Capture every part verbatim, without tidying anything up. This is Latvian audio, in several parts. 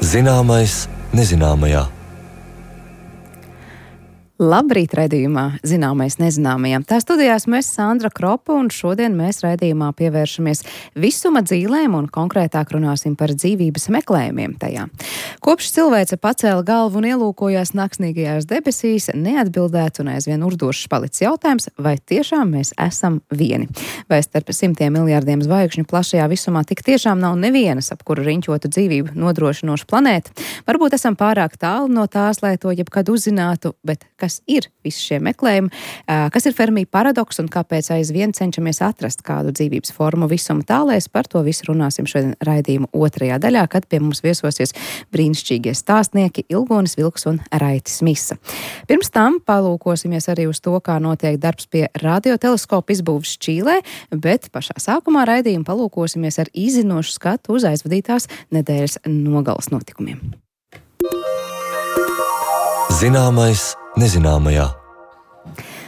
Zināmais nezināmajā. Labrīt raidījumā Zināmais nezināmajam. Tā studijās mēs Sandra Kropa, un šodien mēs raidījumā pievēršamies visuma dzīlēm un konkrētāk runāsim par dzīvības meklējumiem tajā. Kopš cilvēce pacēla galvu un ielūkojās naksnīgajās debesīs, neatbildēt un aizvien urdošs palicis jautājums, vai tiešām mēs esam vieni. Vai starp simtiem miljārdiem zvaigžņu plašajā visumā tik tiešām nav nevienas, ap kuru riņķotu dzīvību nodrošinošu planētu? Varbūt esam pārāk tālu no tās, lai to jebkad uzzinātu, bet kas ir visi šie meklējumi, kas ir Fermi paradoks un kāpēc aizvien cenšamies atrast kādu dzīvības formu visuma tālēs. Par to visu runāsim šodien raidījuma otrajā daļā, kad pie mums viesosies brīnišķīgie stāstnieki Ilgonis Vilks un Raitis Misa. Pirms tam palūkosimies arī uz to, kā notiek darbs pie radioteleskopa izbūves Čīlē, bet pašā sākumā raidījuma palūkosimies ar izzinošu skatu uz aizvadītās nedēļas nogales notikumiem. Zināmais nezināmajā.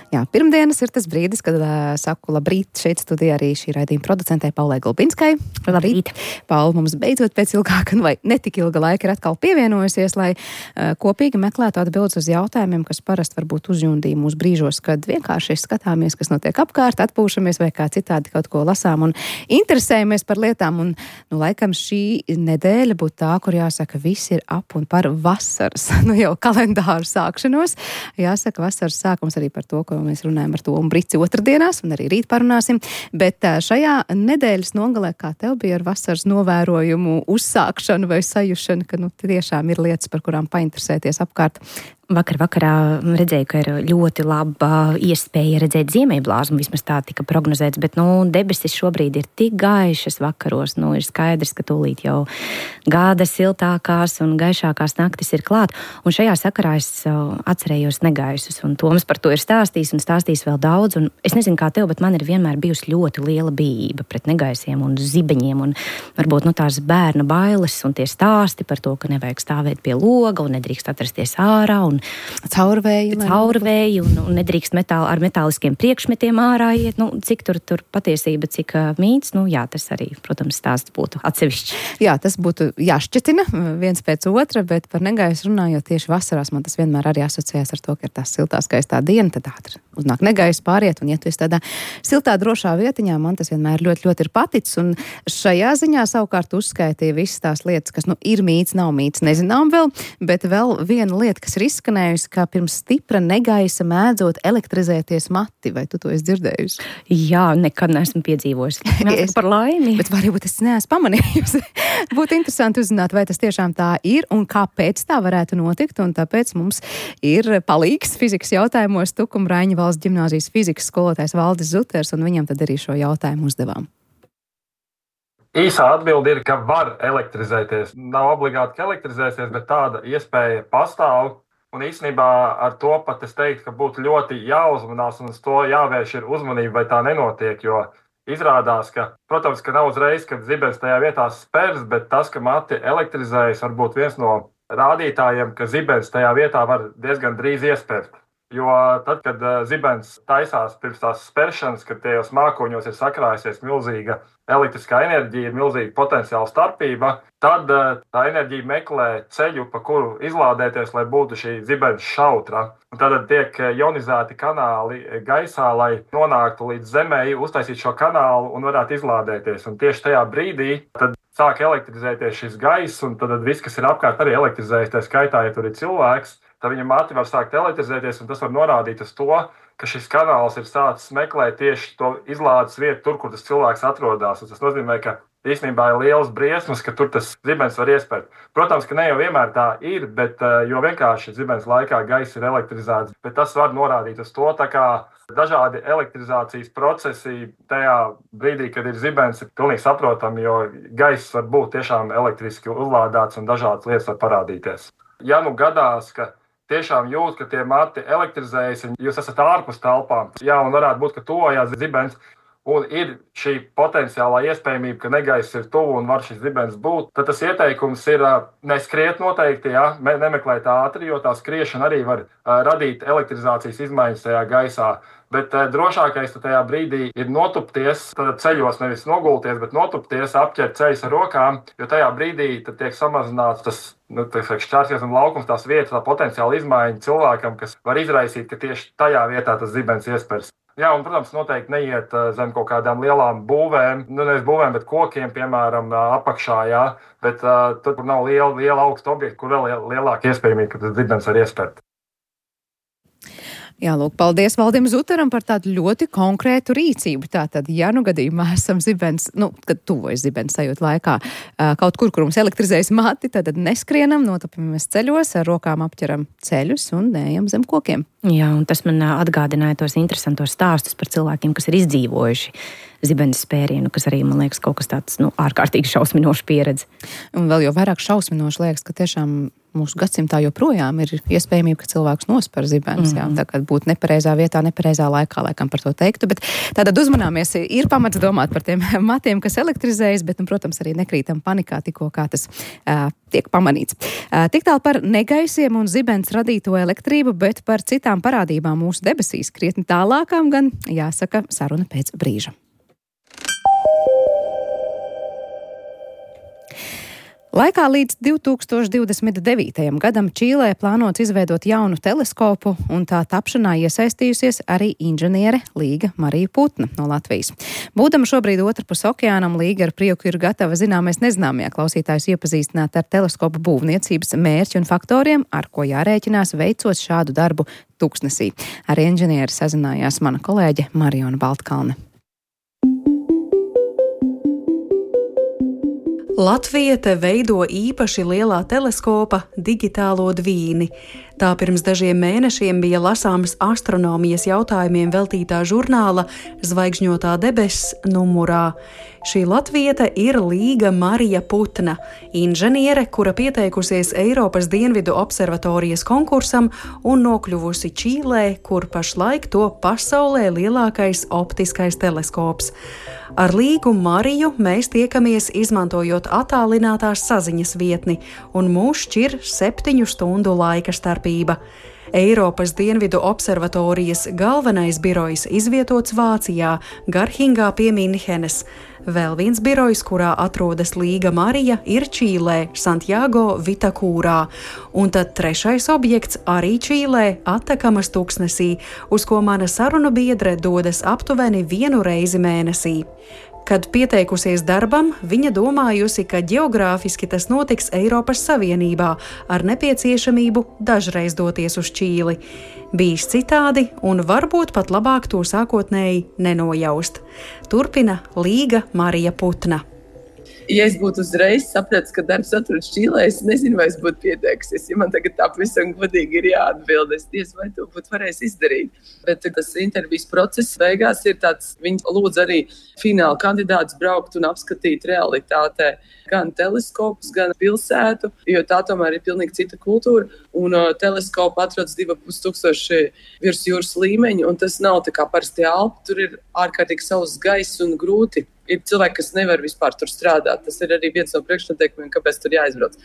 Jā, pirmdienas ir tas brīdis, kad uh, saku labrīt šeit studijā arī šī raidījuma producentei Paulai Gulbinskai. Labrīt. Paula mums beidzot pēc ilgāka vai netik ilga laika ir atkal pievienojusies, lai uh, kopīgi meklētu atbildes uz jautājumiem, kas parasti varbūt uzjundīja mūs brīžos, kad vienkārši skatāmies, kas notiek apkārt, atpūšamies vai kā citādi kaut ko lasām un interesējamies par lietām. Un, nu, laikam šī nedēļa būtu tā, kur jāsaka, viss ir ap un par vasaras, nu jau kalendāru sākšanos. Jāsaka, vasaras sākums arī par to, ko mēs runājam ar to un Brici otrdienās, un arī rīt parunāsim. Bet šajā nedēļas nogalē, kā tev bija ar vasaras novērojumu uzsākšanu vai sajušanu, ka nu tiešām ir lietas, par kurām painteresēties apkārt? Vakar vakarā redzēju, ka ir ļoti laba iespēja redzēt ziemeļblāzmu, vismaz tā tika prognozēts, bet, nu, debesis šobrīd ir tik gaišas vakaros, nu, ir skaidrs, ka tūlīt jau gada siltākās un gaišākās naktis ir klāt, un šajā sakarā es atcerējos negaisus, un Toms par to ir stāstījis un stāstījis vēl daudz, un es nezinu kā tev, bet man ir vienmēr bijusi ļoti liela bijība pret negaisiem un zibeņiem, un varbūt, nu, tās bērna bailes un tie stāsti par to, ka nevajag stāvēt pie loga un nedrīkst atrasties ārā, un caurvēji, caurvēji un, un nedrīkst metāli, ar metāliskiem priekšmetiem ārā iet. Nu, cik tur, tur patiesība, cik uh, mīts, nu jā, tas arī, protams, stāsts būtu atsevišķi. Jā, tas būtu jāšķetina viens pēc otra, bet par negaisu runājot tieši vasarās, man tas vienmēr arī asociējās ar to, ka ir tās siltā skaistā diena, tad ātri uznāk negaisu pāriet, un ja tu esi tādā siltā drošā vietiņā, man tas vienmēr ļoti, ļoti ir paticis, un šajā ziņā savukārt uzskaitīja visas tās lietas, kas, nu, ir mīts, nav mīts, nezinām vēl, bet vēl viena lieta, kas ir izskanējusi, kā pirms stipra negaisa mēdzot elektrizēties mati, vai tu to esi dzirdējusi? Jā, nekad neesmu piedzīvojusi. Es par laimi. Bet varbūt es neesmu pamanījusi. Būtu interesanti uzzināt, vai tas tiešām tā ir un kāpēc tā varētu notikt, un tāpēc mums ir palīgs fizikas jautājumos Tukuma Raiņa valsts ģimnāzijas fizikas skolotājs Valdis Zuters, un viņam tad arī šo jautājumu uzdevām. Īsā atbilde ir, ka var elektrizēties. Nav obligāti, ka elektrizēsies, bet tāda iespēja pastāv. Un īstenībā ar to pat es teiktu, ka būtu ļoti jāuzmanās un uz to jāvērš ir uzmanība, vai tā nenotiek, jo izrādās, ka, protams, ka nav uzreiz, kad zibens tajā vietā spērs, bet tas, ka mati elektrizējas, var būt viens no rādītājiem, ka zibens tajā vietā var diezgan drīz iespērt. Jo tad, kad zibens taisās pirms tās spēršanas, kad tajos mākoņos ir sakrājusies milzīga elektriskā enerģija, milzīga potenciāla starpība, tad tā enerģija meklē ceļu, pa kuru izlādēties, lai būtu šī zibens šautra. Un tad tiek ionizēti kanāli gaisā, lai nonāktu līdz zemē, uztaisīt šo kanālu un varētu izlādēties. Un tieši tajā brīdī tad sāk elektrizēties šis gaiss, un tad viss, kas ir apkārt, arī elektrizējas. Tā skaitā, ja tur ir cilvēks, tad viņa mati var sākt elektrizēties, un tas var norādīt uz to, ka šis kanāls ir sācis meklēt tieši to izlādes vietu tur, kur tas cilvēks atrodas. Tas nozīmē, ka īstenībā ir liels briesmas, ka tur tas zibens var iespērt. Protams, ka ne jau vienmēr tā ir, bet jo vienkārši zibens laikā gaiss ir elektrizēts, bet tas var norādīt uz to, tā kā dažādi elektrizācijas procesi tajā brīdī, kad ir zibens, ir pilnīgi saprotami, jo gaiss var būt tiešām elektriski uzlādēts un dažādas lietas var parādīties. Ja nu gadās, ka tiešām jūt, ka tie mati elektrizējas, un jūs esat ārpus telpām. Jā, un varētu būt, ka tojās zibens, un ir šī potenciālā iespējamība, ka negaiss ir tuvu un var šis zibens būt, tad tas ieteikums ir neskriet noteikti, ja, nemeklēt ātri, jo tā skriešana arī var radīt elektrizācijas izmaiņas tajā gaisā. Bet drošākais tajā brīdī ir notupties, tad ceļos nevis nogulties, bet notupties, apķert ceļus ar rokām, jo tajā brīdī tad tiek samazināts tas, nu, šķērsies un laukums, tās vietas, tā potenciāla izmaiņa cilvēkam, kas var izraisīt, ka tieši tajā vietā tas zibens iespers. Jā, un, protams, noteikti neiet zem kaut kādām lielām būvēm, nu nevis būvēm, bet kokiem, piemēram, apakšā, jā, bet uh, tur, kur nav liela, liela augsta objekta, kur vēl lielāka iespējamība, ka tas zibens var iespert. Jā, lūk, paldies Valdim Zutaram par tādu ļoti konkrētu rīcību. Tātad, ja nu gadījumā esam zibens, nu, kad tuvojas zibens sajūt laikā, kaut kur, kur mums elektrizējas mati, tad neskrienam, notapamies ceļos, ar rokām apķeram ceļus un neejam zem kokiem. Jā, un tas man atgādināja tos interesantos stāstus par cilvēkiem, kas ir izdzīvojuši zibenes spērienu, kas arī, man liekas, kaut kas tāds, nu, ārkārtīgi šausminoša pieredze. Un vēl jau vairāk šausminoši liekas, ka tiešām mūsu gadsimtā joprojām ir iespējamība, ka cilvēks nospar zibens, mm-hmm. jā, tā kā būt nepareizā vietā, nepareizā laikā, laikam par to teiktu, bet tātad uzmanāmies, ir pamats domāt par tiem matiem, kas elektrizējas, bet, un, protams, arī nekrītam panikā tikko, kā tas uh, tiek pamanīts. Uh, tik tālu par negaisiem un zibens radīto elektrību, bet par citām parādībām mūsu debesīs krietni tālākām gan, jāsaka, saruna pēc brīža. Laikā līdz divi tūkstoši divdesmit devītajam gadam Čīlē plānots izveidot jaunu teleskopu, un tā tapšanā iesaistījusies arī inženiere Līga Marija Putna no Latvijas. Būdama šobrīd otrpus okeānam, Līga ar prieku ir gatava zināmais nezināmajā klausītājus iepazīstināt ar teleskopu būvniecības mērķi un faktoriem, ar ko jārēķinās veicot šādu darbu Tuksnesī. Ar inženieri sazinājās mana kolēģe Mariona Baltkalne. Latvija te veido īpaši lielā teleskopa digitālo dvīni. Tā pirms dažiem mēnešiem bija lasāms astronomijas jautājumiem veltītā žurnāla Zvaigžņotā debesis numurā. Šī latviete ir Līga Marija Putna, inženiere, kura pieteikusies Eiropas Dienvidu observatorijas konkursam un nokļuvusi Čīlē, kur pašlaik to pasaulē lielākais optiskais teleskops. Ar Līgu Mariju mēs tiekamies izmantojot attālinātās saziņas vietni, un mūs šķir septiņu stundu laika starpība. Eiropas Dienvidu observatorijas galvenais birojs izvietots Vācijā, Garhingā pie Minhenes. Vēl viens birojs, kurā atrodas Līga Marija, ir Čīlē, Santiago Vitakūrā. Un tad trešais objekts arī Čīlē, Atakamas Tuksnesī, uz ko mana sarunu biedre dodas aptuveni vienu reizi mēnesī. Kad pieteikusies darbam, viņa domājusi, ka ģeogrāfiski tas notiks Eiropas Savienībā ar nepieciešamību dažreiz doties uz Čīli. Bijis citādi un varbūt pat labāk to sākotnēji nenojaust. Turpina Līga Marija Putna. Ja es būtu uzreiz sapratis, ka darbs atrodas Čīlē, es nezinu, vai es būtu pieteikusies. Ja man tagad tā pavisam godīgi ir jāatbild, es diez vai to būtu varējis izdarīt. Bet tas intervijas process beigās ir tāds, viņi lūdz arī fināla kandidātus braukt un apskatīt realitātē gan teleskopus, gan pilsētu, jo tā tomēr ir pilnīgi cita kultūra. Un uh, teleskopu atrodas divi ar pus tūkstoši virs jūras līmeņa, un tas nav tā kā parasti Alpi, tur ir ārkārtīgi sauss gaiss un grūti. Ir cilvēki, kas nevar vispār tur strādāt. Tas ir arī viens no priekšnoteikumiem, kāpēc tur jāizbrauc.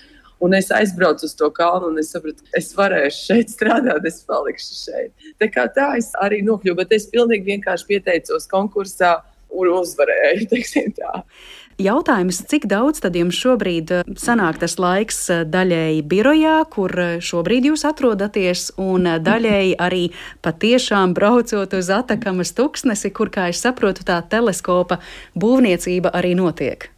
Un es aizbraucu uz to kalnu un es sapratu, es varēšu šeit strādāt, es palikšu šeit. Tā kā tā es arī nokļuvu, bet es pilnīgi vienkārši pieteicos konkursā un uzvarēju, teiksim tā. Jautājums, cik daudz tad jums šobrīd sanāk tas laiks daļēji birojā, kur šobrīd jūs atrodaties, un daļēji arī patiešām braucot uz Atakamas Tuksnesi, kur, kā es saprotu, tā teleskopa būvniecība arī notiek?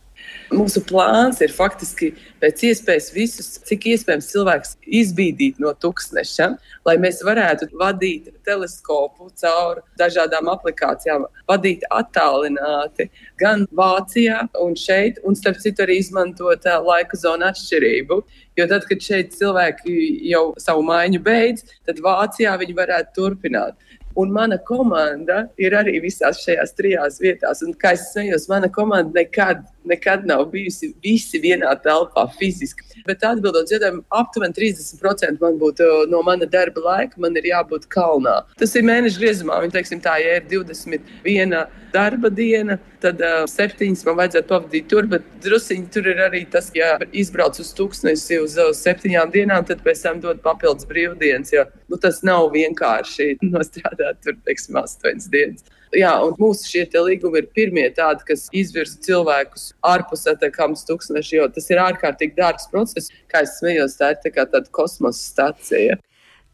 Mūsu plāns ir faktiski pēc iespējas visus, cik iespējams cilvēks izbīdīt no Tuksneša, lai mēs varētu vadīt teleskopu caur dažādām aplikācijām, vadīt attālināti gan Vācijā un šeit, un starp citu arī izmantot laika zonu atšķirību. Jo tad, kad šeit cilvēki jau savu maiņu beidz, tad Vācijā viņi varētu turpināt. Un mana komanda ir arī visās šajās trijās vietās. Un, kā es smējos, mana komanda nekad nekad nav bijusi visi vienā telpā fiziski. Bet atbildot jautājumu, aptuveni trīsdesmit procenti man būtu no mana darba laika, man ir jābūt kalnā. Tas ir mēneša griezumā, viņi teiksim tā, ja ir divdesmit viena darba diena, tad uh, septiņas man vajadzētu pavadīt tur, bet drusiņi tur ir arī tas, ja izbrauc uz Tuksnesi uz, uz septiņām dienām, tad pēc tam dod papildus brīvdienas, jo nu, tas nav vienkārši nostrādāt tur, teiksim, astoņas dienas. Jā, un mūsu šie te līgumi ir pirmie tādi, kas izvirza cilvēkus ārpus Atakams Tuksneši, jo tas ir ārkārtīgi dārgs process, kā es smējos, tā ir tā kā tāda kosmosa stacija.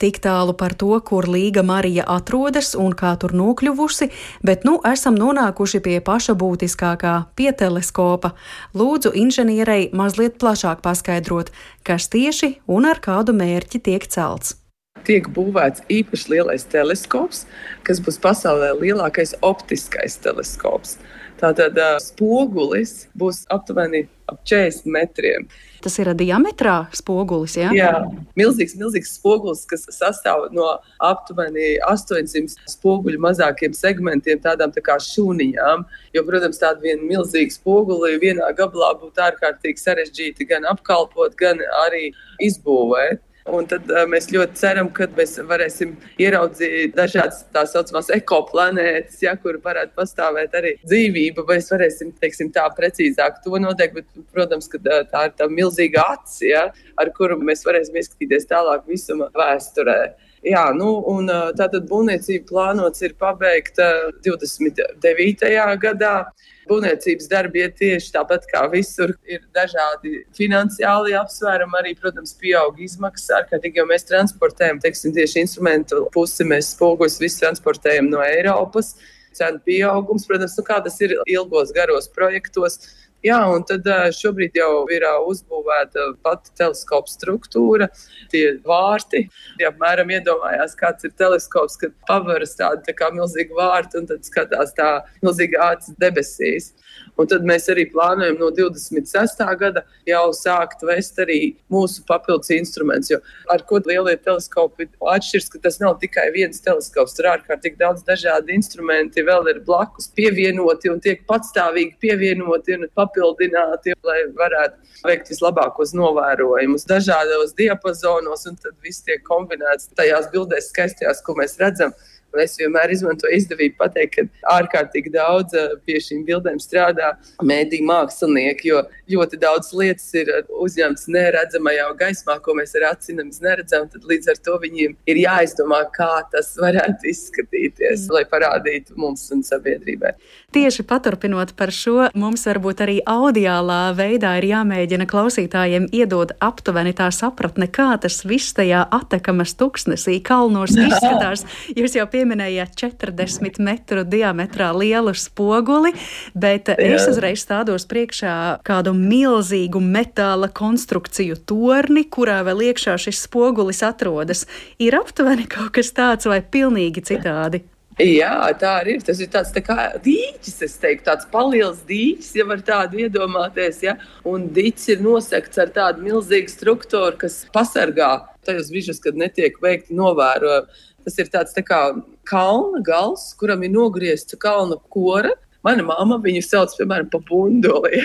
Tik tālu par to, kur Līga Marija atrodas un kā tur nokļuvusi, bet nu esam nonākuši pie paša būtiskākā, pie teleskopa. Lūdzu inženierei mazliet plašāk paskaidrot, kas tieši un ar kādu mērķi tiek celts. Tiek būvēts īpaši lielais teleskops, kas būs pasaulē lielākais optiskais teleskops. Tātad uh, spogulis būs aptuveni ap četrdesmit metriem. Tas ir diametrā spogulis, jā? Jā, milzīgs, milzīgs spogulis, kas sastāv no aptuveni astoņsimt spoguļu mazākiem segmentiem, tādām tā kā šūniņām. Jo, protams, tāda viena milzīga spoguli vienā gabalā būtu ārkārtīgi sarežģīti gan apkalpot, gan arī izbūvēt. Un tad uh, mēs ļoti ceram, ka mēs varēsim ieraudzīt dažādas tā saucamās ekoplanētas, ja, kur varētu pastāvēt arī dzīvība, vai mēs varēsim, teiksim, tā precīzāk to noteikt, bet, protams, ka uh, tā ir tā milzīga acis, ja, ar kuru mēs varēsim ieskatīties tālāk visuma vēsturē. Jā, nu, un uh, tātad būvniecība plānots ir pabeigta divdesmit devītajā gadā. Būvniecības darbi iet tieši tāpat kā visur, ir dažādi finansiāli apsvērumi, arī, protams, pieaug izmaksas ārkārtīgi, jo mēs transportējam, teiksim, tieši instrumentu pusi, mēs spoguļus visu transportējam no Eiropas, cenu pieaugums, protams, nu kā tas ir ilgos, garos projektos. Jā, un tad šobrīd jau ir uzbūvēta pati teleskopa struktūra, tie vārti. Ja apmēram iedomājās, kāds ir teleskops, kad pavaras tāda tā kā milzīga vārta un tad skatās tā milzīga acis debesīs. Un tad mēs arī plānojam no divdesmit sestā gada jau sākt vest arī mūsu papildus instruments, jo ar ko lielie teleskopi atšķirs, ka tas nav tikai viens teleskops, tur ārkārtīgi daudz dažādi instrumenti vēl ir blakus pievienoti un tiek patstāvīgi pievienoti un papildināti, lai varētu veikt vislabākos novērojumus dažādos diapazonos, un tad viss tiek kombinēts tajās bildēs skaistajās, ko mēs redzam. Un es vienmēr izmantoju izdevību pateikt, ka ārkārtīgi daudz pie šīm bildēm strādā mēdī mākslinieki, jo ļoti daudz lietas ir uzņemts neredzamajā gaismā, ko mēs ar acīm neredzam, tad līdz ar to viņiem ir jāizdomā, kā tas varētu izskatīties, mm. lai parādītu mums un sabiedrībai. Tieši paturpinot par šo, mums varbūt arī audiālā veidā ir jāmēģina klausītājiem iedot aptuveni tā sapratne, kā tas viss tajā Atakamas Tuksnesī kalnos izskatās. Jūs jau pieminējāt četrdesmit metru diametrā lielu spoguli, bet Jā. es uzreiz stādos priekšā kādu milzīgu metāla konstrukciju torni, kurā vēl iekšā šis spogulis atrodas. Ir aptuveni kaut kas tāds vai pilnīgi citādi? Jā, tā arī ir. Tas ir tāds tā kā dīķis, es teiktu, tāds paliels dīķis, ja var tādu iedomāties, ja? Un dīķis ir nosegts ar tādu milzīgu struktūru, kas pasargā tajos brīžos, kad netiek veikti novērojumi. Tas ir tāds tā kā kalna gals, kuram ir nogriezta kalna kora. Mana mamma viņu sauc, piemēram, pa bundoli,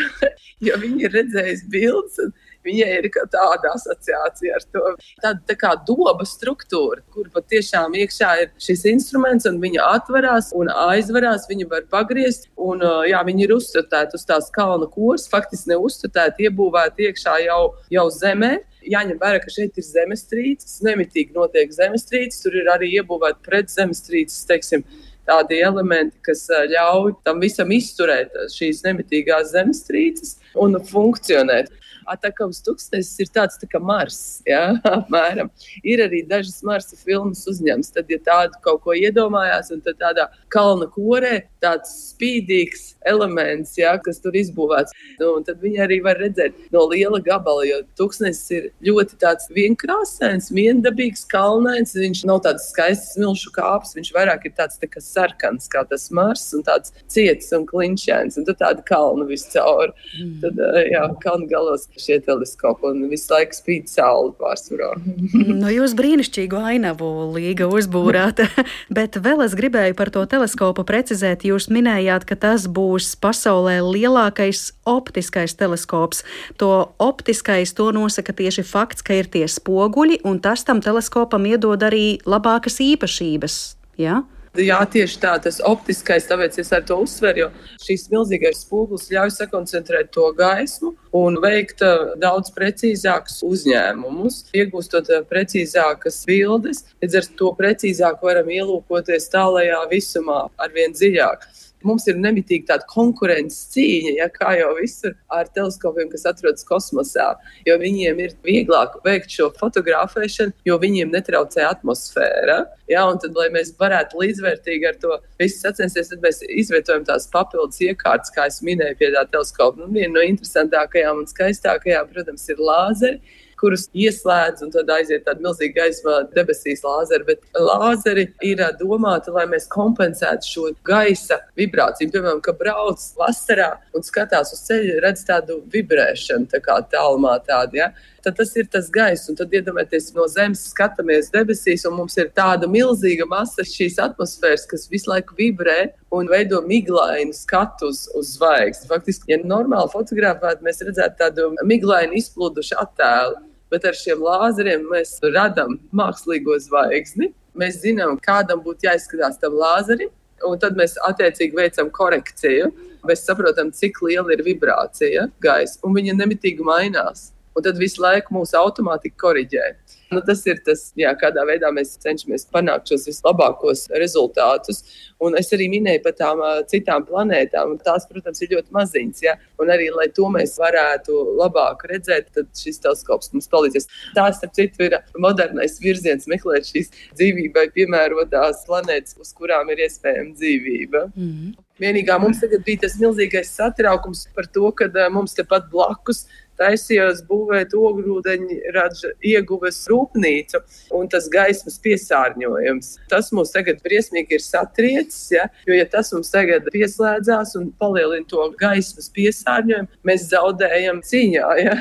jo viņa ir redzējusi bildes, un viņai ir tāda asociācija ar to. Tāda tā kā doba struktūra, kur pat tiešām iekšā ir šis instruments, un viņa atverās un aizverās, viņa var pagriezt, un jā, viņa ir uzstatēta uz tās kalna koras, faktiski neuzstatēta, iebūvēta iekšā jau, jau zemē. Jāņem vērā, ka šeit ir zemestrīces, nemitīgi notiek zemestrīces, tur ir arī iebūvēti pret zemestrīces, teiksim, tādi elementi, kas ļauj tam visam izturēt šīs nemitīgās zemestrīces un funkcionēt. Atakams Tuksnesis ir tāds tā kā Mars, ja, apmēram. Ir arī dažas Marsa filmas uzņemts, tad, ja tādu kaut ko iedomājās, un tad tādā kalna korē tāds spīdīgs elements, ja, kas tur izbūvēts. Nu, un tad viņi arī var redzēt no liela gabala, jo Tuksnesis ir ļoti tāds vienkrāsains, viendabīgs, kalnains, viņš nav tāds skaists milšu kāps, viņš vairāk ir tāds tā kā sarkans, kā tas Mars, un tāds ciets un klinšēns, un tad tāda kalna viscaur. Mm. Tad, jā, kalna galos. šie teleskopi un visu laiku spīd saule pārsvarā. Nu, jūs brīnišķīgu ainavu, Līga, uzbūrāt, bet vēl es gribēju par to teleskopu precizēt. Jūs minējāt, ka tas būs pasaulē lielākais optiskais teleskops. To optiskais to nosaka tieši fakts, ka ir tie spoguļi, un tas tam teleskopam iedod arī labākas īpašības, jā? Jā, tieši tā, tas optiskais, tāpēc es ar to uzsveru, jo šīs milzīgais spogulis ļauj sakoncentrēt to gaismu un veikt daudz precīzākus uzņēmumus, iegūstot precīzākas bildes, līdz ar to precīzāk varam ielūkoties tālajā visumā arvien dziļāk. Mums ir nemitīgi tāda konkurences cīņa, ja, kā jau visur ar teleskopiem, kas atrodas kosmosā, jo viņiem ir vieglāk veikt šo fotografēšanu, jo viņiem netraucē atmosfēra. Ja, un tad, lai mēs varētu līdzvērtīgi ar to visu sacensties, tad mēs izvietojam tās papildus iekārtas, kā es minēju pie tā teleskopa. Nu, viena no interesantākajām un skaistākajām, protams, ir lāzeri, kurus ieslēdz un tad aiziet tāda milzīga gaisma debesīs lāzeri, bet lāzeri ir domāti, lai mēs kompensētu šo gaisa vibrāciju. Piemēram, ka brauc vasarā un skatās uz ceļu, redz tādu vibrēšanu, tā kā tālumā tādu, ja? Tad tas ir tas gaiss, un tad iedomājieties, no zemes skatāmies debesīs, un mums ir tāda milzīga masa šīs atmosfēras, kas visu laiku vibrē un veido miglainu skatu uz, uz zvaigzni. Faktiski, ja normāli fotografētu, mēs redzētu tādu miglainu izplūdušu attēlu, bet ar šiem lāzeriem mēs radam mākslīgo zvaigzni. Mēs zinām, kādam būtu jāizskatās tam lāzerim, un tad mēs attiecīgi veicam korekciju. Mēs saprotam, cik liela ir vibrācija gaisa, un viņa nemitīgi mainās. Un tad visu laiku mūsu automātika koriģē. Nu, tas ir tas, jā, kādā veidā mēs cenšamies panākt šos vislabākos rezultātus. Un es arī minēju par tām uh, citām planētām. Tās, protams, ir ļoti maziņas. Ja? Un arī, lai to mēs varētu labāk redzēt, tad šis teleskops mums palīdzēs. Tās, starp citu, ir modernais virziens meklēt šīs dzīvībai piemērotās planētas, uz kurām ir iespējama dzīvība. Mm. Vienīgā mums tagad bija tas milzīgais satraukums par to, ka uh, mums tepat blakus taisījās būvēt ogļūdeņraža ieguves rūpnīcu un tas gaismas piesārņojums. Tas mums tagad briesmīgi ir satriecis, ja? Jo ja tas mums tagad pieslēdzās un palielina to gaismas piesārņojumu, mēs zaudējam cīņā. Ja?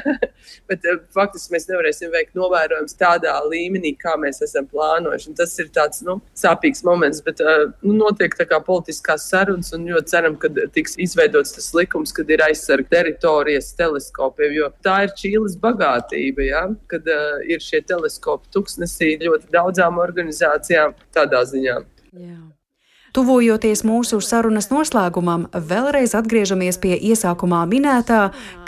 Bet faktiski mēs nevarēsim veikt novērojumus tādā līmenī, kā mēs esam plānojuši. Un tas ir tāds nu, sāpīgs moments, bet nu, notiek tā kā politiskās sarunas un ļoti ceram, ka tiks izveidots tas likums, kad ir aizsarga teritorijas teleskopiem, jo tā ir Čīles bagātība, ja? Kad uh, ir šie teleskopi tuksnesī ļoti daudzām organizācijām tādā ziņā. Jā. Tuvojoties mūsu sarunas noslēgumam, vēlreiz atgriežamies pie iesākumā minētā,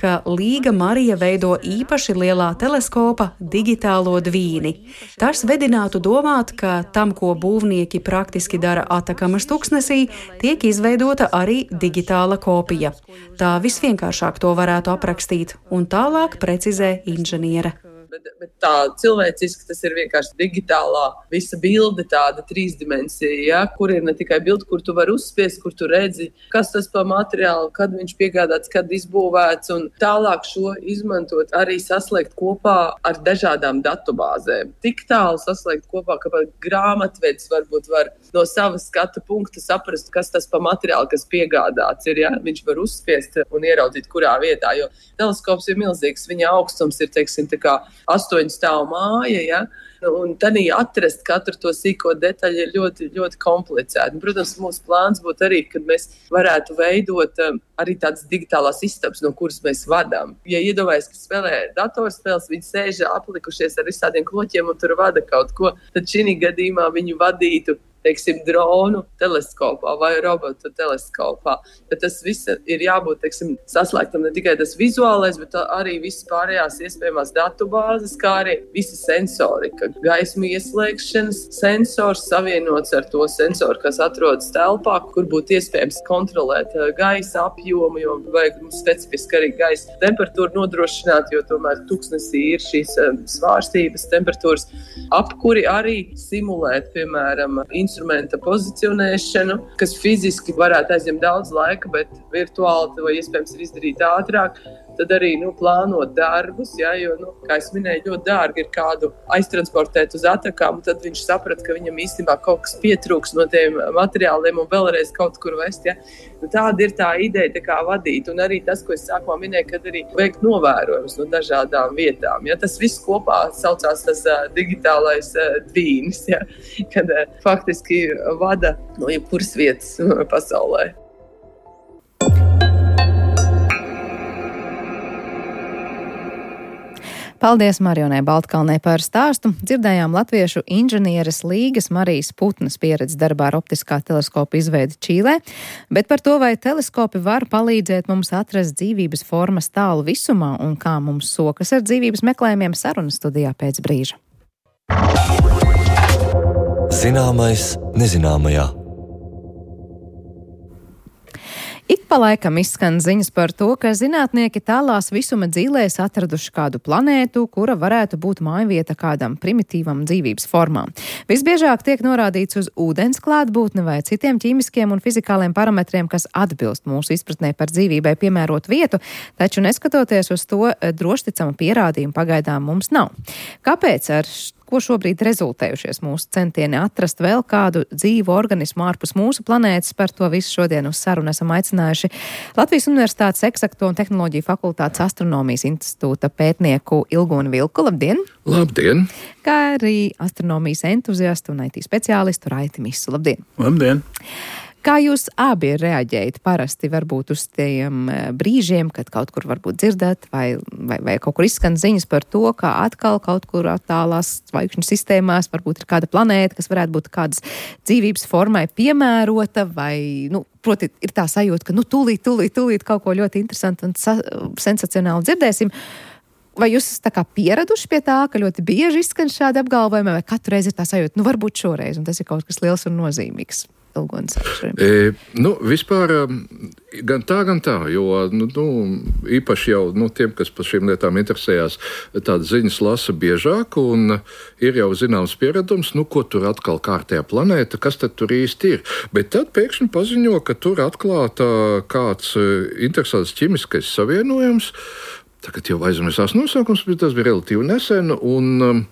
ka Līga Marija veido īpaši lielā teleskopa digitālo dvīni. Tas vedinātu domāt, ka tam, ko būvnieki praktiski dara Atakamas tuksnesī, tiek izveidota arī digitāla kopija. Tā visvienkāršāk to varētu aprakstīt, un tālāk precizē inženiere. Bet, bet tā cilvēciski tas ir vienkārši digitālā visa bilde, tāda trīsdimensija, ja, kur ir ne tikai bilde, kur tu vari uzspiest, kur tu redzi, kas tas pa materiālu, kad viņš piegādāts, kad izbūvēts, un tālāk šo izmantot arī saslēgt kopā ar dažādām datubāzēm. Tik tālu saslēgt kopā, ka pat grāmatvedis varbūt var no savas skatu punkta saprast, kas tas pa materiālu, kas piegādāts ir, ja, viņš var uzspiest un ieraudzīt, kurā vietā, jo teleskops ir milzīgs, viņa augstums ir, teiksim, tā kā astoņu stāvu māja, ja? Un tādī atrast katru to sīko detaļu ir ļoti, ļoti komplicēti. Protams, mūsu plāns būtu arī, kad mēs varētu veidot um, arī tādas digitālās istabas, no kuras mēs vadām. Ja iedomājas, ka spēlē datorspēles, viņi sēž aplikušies ar visādiem kloķiem un tur vada kaut ko, tad šī gadījumā viņu vadītu teiksim, dronu teleskopā vai robotu teleskopā. Tad tas viss ir jābūt, teiksim, saslēgtam ne tikai tas vizuālais, bet arī visas pārējās iespējamās datubāzes, kā arī visi sensori, ka gaismu ieslēgšanas sensors savienots ar to sensoru, kas atrodas telpā, kur būtu iespējams kontrolēt gaisa apjomu, jo vajag mums specifiski arī gaisa temperatūru nodrošināt, jo tomēr tuksnesī ir šīs svārstības temperatūras apkuri arī simulēt, piemēram, instrumenta pozicionēšanu, kas fiziski varētu aizņemt daudz laika, bet virtuāli to iespējams ir izdarīt ātrāk. tad arī nu, plānot darbus, ja, jo, nu, kā es minēju, ļoti dārgi ir kādu aiztransportēt uz Atakām, un tad viņš saprata, ka viņam īstenībā kaut kas pietrūks no tiem materiāliem un vēlreiz kaut kur vest. Ja. Nu, tāda ir tā ideja tā kā vadīt, un arī tas, ko es sākumā minēju, kad arī veikt novērojumus no dažādām vietām. Ja. Tas viss kopā saucās tas uh, digitālais uh, dvīnis, ja, kad uh, faktiski vada no jebkuras vietas uh, pasaulē. Paldies Marionai Baltkalnei par stāstu. Dzirdējām latviešu inženieres Līgas Marijas Putnas pieredzi darbā ar optiskā teleskopa izveidi Čīlē, bet par to, vai teleskopi var palīdzēt mums atrast dzīvības formas tālu visumā un kā mums sokas ar dzīvības meklējumiem, sarunas studijā pēc brīža. Zināmais nezināmajā. Ik pa laikam izskan ziņas par to, ka zinātnieki tālās visuma dzīlēs atraduši kādu planētu, kura varētu būt mājvieta kādam primitīvam dzīvības formām. Visbiežāk tiek norādīts uz ūdens klātbūtni vai citiem ķīmiskiem un fizikāliem parametriem, kas atbilst mūsu izpratnē par dzīvībai piemērot vietu, taču neskatoties uz to, drošticama pierādījuma pagaidām mums nav. Kāpēc ar ko šobrīd rezultējušies mūsu centieni atrast vēl kādu dzīvu organismu ārpus mūsu planētas? Par to visu šodien uz sarunu esam aicinājuši Latvijas Universitātes Eksakto un tehnoloģiju fakultātes astronomijas institūta pētnieku Ilguni Vilku. Labdien! Labdien! Kā arī astronomijas entuziastu un I T speciālistu Raiti Misu. Labdien! Labdien! Kā jūs abi reaģējat parasti varbūt uz tiem brīžiem, kad kaut kur varbūt dzirdat vai, vai, vai kaut kur izskan ziņas par to, ka atkal kaut kur attālās zvaigžņu sistēmās varbūt ir kāda planēta, kas varētu būt kādas dzīvības formai piemērota vai, nu, proti ir tā sajūta, ka nu tūlīt, tūlīt, tūlīt kaut ko ļoti interesantu un sa- sensacionāli dzirdēsim. Vai jūs tā kā pieraduši pie tā, ka ļoti bieži izskan šādi apgalvojumi, vai katru reizi ir tā sajūta, nu varbūt šoreiz, un tas ir kaut kas liels un nozīmīgs? E, nu, vispār gan tā, gan tā, jo nu, nu, īpaši jau nu, tiem, kas par šīm lietām interesējās, tādas ziņas lasa biežāk, un ir jau zināms pieredums, nu, ko tur atkal kārtējā planēta, kas tad tur īsti ir. Bet tad pēkšņi paziņo, ka tur atklāta kāds interesants ķimiskais savienojums, tagad jau aizmirsās nosaukums, bet tas bija relatīvi nesen, un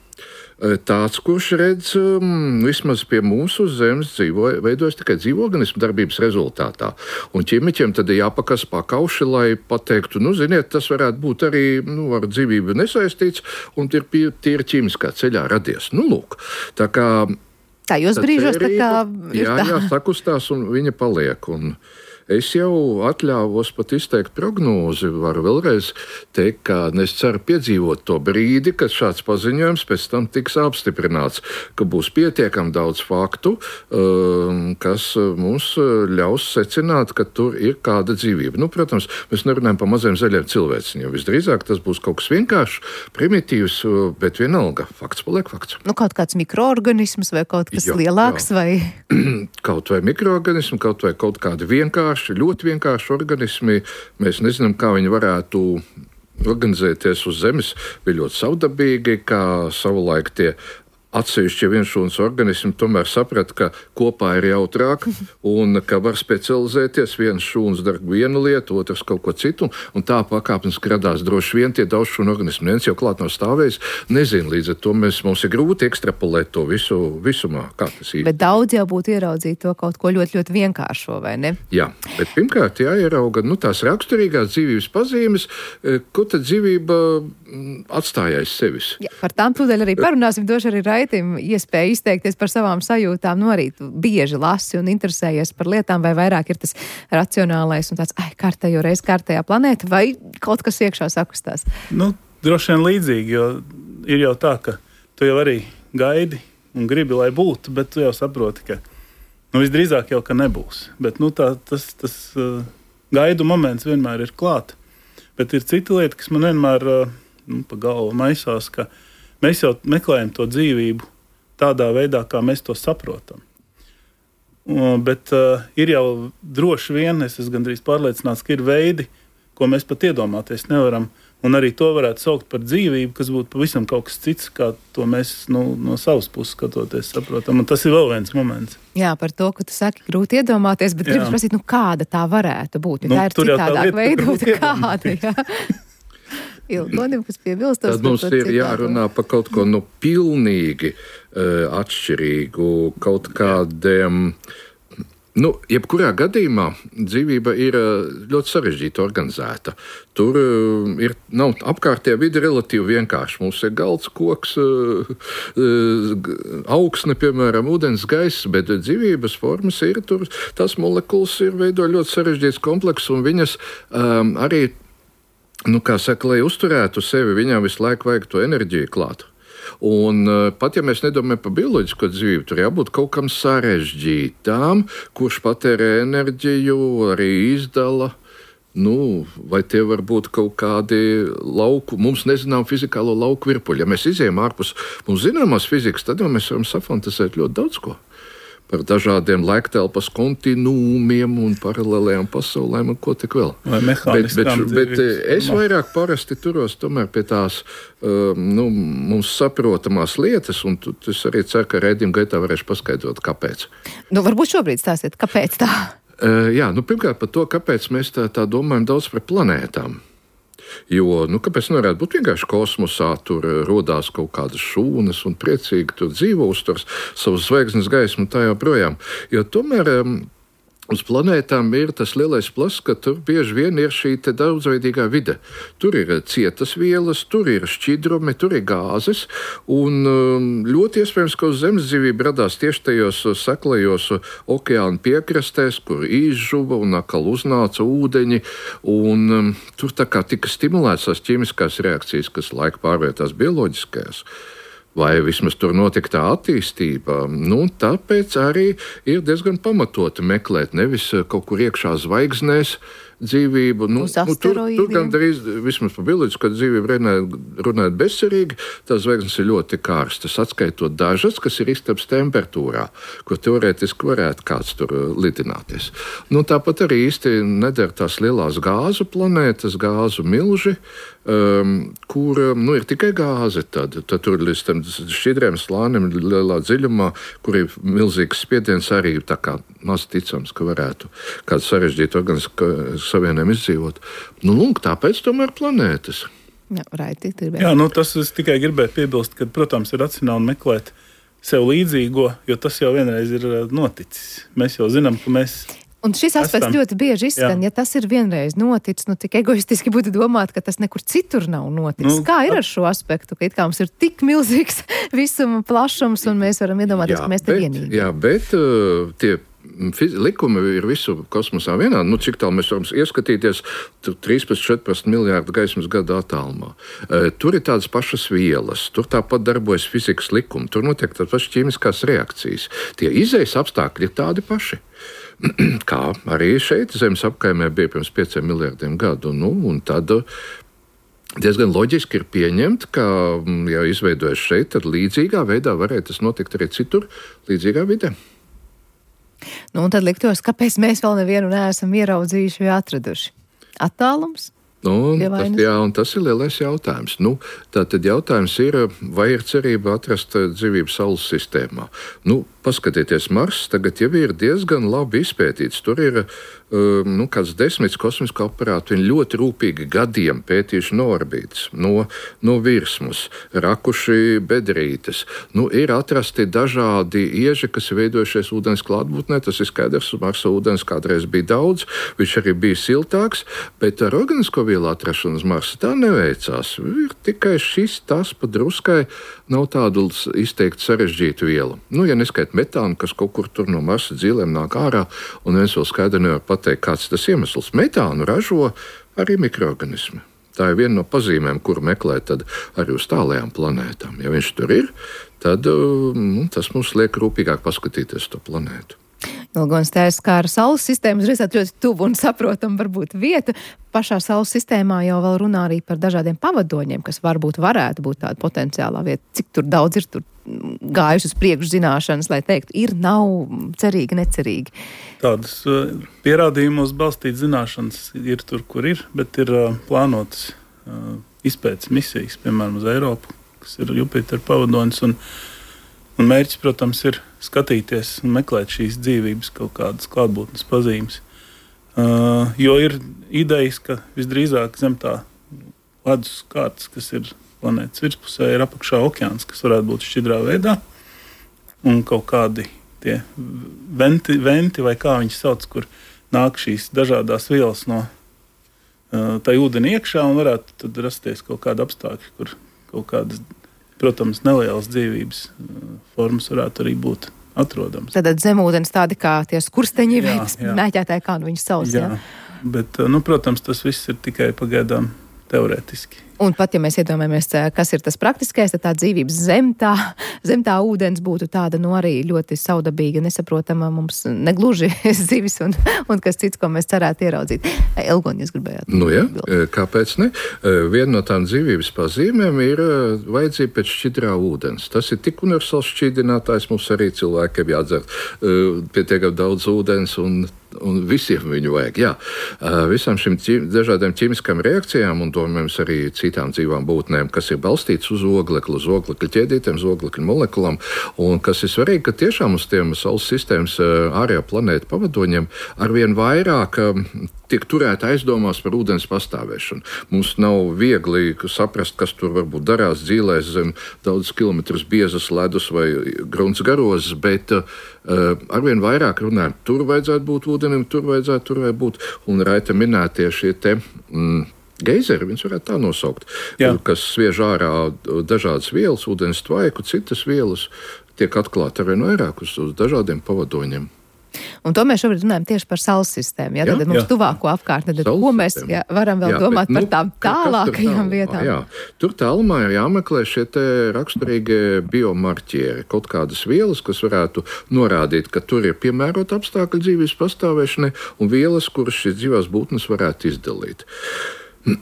tāds, kurš redz, um, vismaz pie mūsu zemes dzīvo, veidojas tikai dzīvo organismu darbības rezultātā. Un ķīmiķiem tad ir jāpakas pakauši, lai pateiktu, nu, ziniet, tas varētu būt arī, nu, ar dzīvību nesaistīts, un ir tīri ķīmiskā ceļā radies. Nu, lūk, tā kā... Tā jūs brīžos tā kā... Jā, jā, sakustās, un viņa paliek, un... Es jau atļāvos pat izteikt prognozi, varu vēlreiz teikt, ka es ceru piedzīvot to brīdi, kad šāds paziņojums pēc tam tiks apstiprināts, ka būs pietiekami daudz faktu, kas mums ļaus secināt, ka tur ir kāda dzīvība. Nu, protams, mēs nerunājam par maziem zaļiem cilvēciņiem. Visdrīzāk tas būs kaut kas vienkāršs, primitīvs, bet vienalga. Fakts paliek fakts. Nu, kaut kāds mikroorganisms vai kaut kas jā, lielāks? Jā. Vai... Kaut vai mikroorganismi, kaut vai kaut kādi vienkārši, ļoti vienkārši organismi. Mēs nezinām, kā viņi varētu organizēties uz Zemes. Bija ļoti savdabīgi, kā savulaik tie atsevišķi vienšūnas organismi tomēr saprata, ka kopā ir jautrāk un ka var specializēties. Viens šūns dara vienu lietu, otrs kaut ko citu, un tā pakāpeniski radās droši vien tie daudzšūnu organismi. Viens jau klāt nav stāvējis, nezinu, līdz ar to mēs, mums ir grūti ekstrapolēt to visu visumā, kā tas ir. Bet daudz jau būtu ieraudzīt to kaut ko ļoti, ļoti vienkāršo, vai ne? Jā, bet pirmkārt jāierauga, nu, tās raksturīgās dzīvības pazīmes, ko tad dzīvība atstāja aiz sevis. Jā, par tām tūdaļ arī parunāsim, došu arī Raitim iespēju izteikties par savām sajūtām. Nu, arī tu bieži lasi un interesējies par lietām, vai vairāk ir tas racionālais un tāds, ai, kārtējo reiz kārtējā planēta, vai kaut kas iekšā sakustās? Nu, droši vien līdzīgi, jo ir jau tā, ka tu jau arī gaidi un gribi, lai būtu, bet tu jau saproti, ka nu, visdrīzāk jau, ka nebūs. Bet nu, tā, tas, tas uh, gaidu moments vienmēr ir klāt. Bet ir cita lieta, kas man vienmēr uh, nu, pa galvu maisās, ka mēs jau meklējam to dzīvību tādā veidā, kā mēs to saprotam. Uh, bet uh, ir jau droši vien, es esmu gandrīz pārliecināts, ka ir veidi, ko mēs pat iedomāties nevaram, un arī to varētu saukt par dzīvību, kas būtu pavisam kaut kas cits, kā to mēs nu, no savas puses skatoties saprotam. Un tas ir vēl viens moments. Jā, par to, ka tu saki, grūti iedomāties, bet gribas prasīt, nu kāda tā varētu būt, jo nu, tā ir citādāk veidota kāda. Jā. Ilgonim, kas piebilstos. Tad mums ir jārunā par kaut ko nu pilnīgi uh, atšķirīgu, kaut kādiem. Nu, jebkurā gadījumā dzīvība ir ļoti sarežģīta organizēta. Tur uh, ir, nav apkārtējā vide relatīvi vienkārši. Mums ir galds, koks, uh, uh, augsne, piemēram, ūdens, gaiss, bet dzīvības formas ir tur. Tās molekulas ir veido ļoti sarežģīts komplekss, un viņas um, arī, nu, kā saka, lai uzturētu sevi, viņām visu laiku vajag to enerģiju klāt. Un pat ja mēs nedomājam par bioloģisko dzīvību, tur jābūt kaut kam sarežģītām, kurš patērē enerģiju, arī izdala. Nu, vai tie var būt kaut kādi lauku, mums nezinām fizikālo lauku virpuļi. Ja mēs izējām ārpus mums zināmās fizikas, tad jau mēs varam safantasēt ļoti daudz ko. Par dažādiem laiktelpas kontinūmiem un paralēlējām pasaulēm un ko tik vēl. Vai mehāniskām bet, bet, bet es vairāk parasti turos tomēr pie tās um, nu, mums saprotamās lietas, un tu, es arī ceru, ka raidījuma gaitā varēšu paskaidrot, kāpēc. Nu, varbūt šobrīd stāstiet, kāpēc tā? Uh, jā, nu, pirmkārt par to, kāpēc mēs tā, tā domājam daudz par planētām. Jo, nu, kāpēc nevarētu būt vienkārši kosmosā, tur rodās kaut kādas šūnas un priecīgi tur dzīvo, uzturs savu zvaigznes gaismu un tā joprojām. Jo tomēr um, uz planētām ir tas lielais pluss, ka tur bieži vien ir šī te daudzveidīgā vide. Tur ir cietas vielas, tur ir šķidrumi, tur ir gāzes, un um, ļoti iespējams, ka uz Zemes dzīvība radās tieši tajos seklajos okeāna piekrastēs, kur izžuva un atkal uznāca ūdeņi, un um, tur tā kā tika stimulētas tās ķīmiskās reakcijas, kas laika pārvērtās bioloģiskajās. Vai vismaz tur notika tā attīstība. Nu, tāpēc arī ir diezgan pamatoti meklēt nevis kaut kur iekšā zvaigznēs dzīvību. Nu, nu, tur, tur gan drīz, vismaz par bioloģisko dzīvību runājot, runājot bezcerīgi, tās zvaigznes ir ļoti kārstas, atskaitot dažas, kas ir istabas temperatūrā, kur teorētiski varētu kāds tur lidināties. Nu, tāpat arī īsti neder tās lielās gāzu planētas, gāzu milži, Um, kur nu, ir tikai gāze. Tad, tad tur līdz tam šķidriem slānim lielā dziļumā, kur ir milzīgs spiediens, arī tā kā maz ticams, ka varētu kādu sarežģītu organisku savienojumu izdzīvot. Nu, lūk, tāpēc tomēr planētas. Jā, raiti, Jā, nu, tas es tikai gribēju piebilst, ka, protams, ir racionāli meklēt sev līdzīgo, jo tas jau vienreiz ir noticis. Mēs jau zinām, ka mēs... Un šis aspekts ļoti bieži izskan, ja tas ir vienreiz noticis, nu tik egoistiski būtu domāt, ka tas nekur citur nav noticis. Nu, Kā ir ar šo aspektu, ka it kā mums ir tik milzīgs visuma plašums, un mēs varam iedomāties, jā, ka mēs te vienīgi. Jā, bet uh, tie likumi ir visu kosmosā vienādi. Nu, cik tālu mēs varam ieskatīties, trīspadsmit četrpadsmit miljārdu gaismas gadu attālumā. Uh, tur ir tādas pašas vielas, tur tāpat darbojas fizikas likumi, tur notiek tādas pašas ķīmiskās reakcijas. Tie izejas apstākļi ir tādi paši. Kā arī šeit Zemes apkaimē bija pirms pieciem miljardiem gadu. Nu, un tad diezgan loģiski ir pieņemt, ka, ja izveidojas šeit, tad līdzīgā veidā varētu tas notikt arī citur, līdzīgā vidē. Nu, un tad liktos, kāpēc mēs vēl nevienu neesam ieraudzījuši vai atraduši? Attālums? Nu, tas, jā, un tas ir lielais jautājums. Nu, tātad jautājums ir, vai ir cerība atrast dzīvību Saules sistēmā. Nu, paskatieties, Mars tagad jau ir diezgan labi izpētīts. Tur ir um, nu, kāds desmits kosmisko aparātu. Viņi ļoti rūpīgi gadiem pētījuši no orbītas, no, no virsmas, rakuši bedrītes. Nu, ir atrasti dažādi ieži, kas ir veidojušies ūdens klātbūtnē. Tas ir skaidrs, Marsa ūdens kādreiz bija daudz, viņš arī bija siltāks, bet ar organisko vielu atrašanu uz Marsa tā neveicās. Ir tikai šis, tas pa druskai nav tādu izteikti sarežģītu vielu. Nu, ja neskait metānu, kas kaut kur tur no Marsa dzīvēm nāk ārā, un viens vēl skaidri nevar pateikt, kāds tas iemesls. Metānu ražo arī mikroorganismi. Tā ir viena no pazīmēm, kuru meklēt tad arī uz tālajām planētām. Ja viņš tur ir, tad nu, tas mums liek rūpīgāk paskatīties to planētu. Ilgonis teica, kā ar Saules sistēmu redzēt ļoti tuvu un saprotam varbūt vieta. Pašā Saules sistēmā jau vēl runā arī par dažādiem pavadoņiem, kas varbūt varētu būt tāda potenciālā vieta. Cik tur daudz ir tur gājuši uz priekšu zināšanas, lai teiktu, ir, nav, cerīgi, necerīgi. Tādas uh, pierādījumos balstīt zināšanas ir tur, kur ir, bet ir uh, plānotas uh, izpētes misijas, piemēram, uz Eiropu, kas ir Jupiter pavadonis, un, un mērķis, protams, ir skatīties un meklēt šīs dzīvības kaut kādas klātbūtnes pazīmes. Uh, jo ir idejas, ka visdrīzāk zem tā ledus kārtas, kas ir planētas virspusē, ir apakšā okeāns, kas varētu būt šķidrā veidā, un kaut kādi tie venti, venti vai kā viņi sauc, kur nāk šīs dažādās vielas no uh, tā ūdeni iekšā, un varētu tad rasties kaut kāda apstākļa, kur kaut kādas, protams, nelielas dzīvības uh, formas varētu arī būt atrodams. Tad zemūdens tādi kā tie skursteņi, vai mēķētāji, kā nu viņus sauc, jā? Jā, bet, nu, protams, tas viss ir tikai pagaidām teorētiski. Un pat, ja mēs iedomājamies, kas ir tas praktiskais, tad tā dzīvības zem tā, zem tā ūdens būtu tāda, nu, arī ļoti saudabīga, nesaprotama mums negluži zivis un, un kas cits, ko mēs cerētu ieraudzīt. Elgoņi, jūs gribējāt? Nu, jā, kāpēc ne? Viena no tām dzīvības pazīmēm ir vajadzība pēc šķidrā ūdens. Tas ir tik universāls šķidrinātājs, mums arī cilvēkiem jādzer pietiekami daudz ūdens un un visiem viņu vajag. Jā. Visām šīm ķim, dažādām ķimiskām reakcijām un domājams arī citām dzīvām būtnēm, kas ir balstīts uz oglekli, uz oglekļa ķēdītēm, uz oglekļa molekulām, un kas ir svarīgi, ka tiešām uz tiem Saules sistēmas ārējā planēta pavadoņiem arvien vairāk tiek turēta aizdomās par ūdens pastāvēšanu. Mums nav viegli saprast, kas tur varbūt darās dzīlēs zem daudz kilometrus biezas ledus vai grunts garozes, bet uh, arvien vairāk runājam, tur vajadzētu būt ūdenim, tur vajadzētu, tur vajadzētu būt. Un Raita minētie šie te mm, geizeri, viņus varētu tā nosaukt, Jā. kas sviež ārā dažādas vielas, ūdens tvaiku, citas vielas, tiek atklāti arvien vairāk uz, uz dažādiem pavadoņiem. Un to mēs šobrīd runājam tieši par Saules sistēmu. Ja? Jā, Tad mums jā. tuvāko apkārtni, tad ko mēs jā, varam vēl jā, domāt bet, par tām nu, tālākajām vietām? Jā. Tur tālumā ir jāmeklē šie te raksturīgie biomarķieri, kaut kādas vielas, kas varētu norādīt, ka tur ir piemērota apstākļa dzīvības pastāvēšanai un vielas, kuras šīs dzīvās būtnes varētu izdalīt.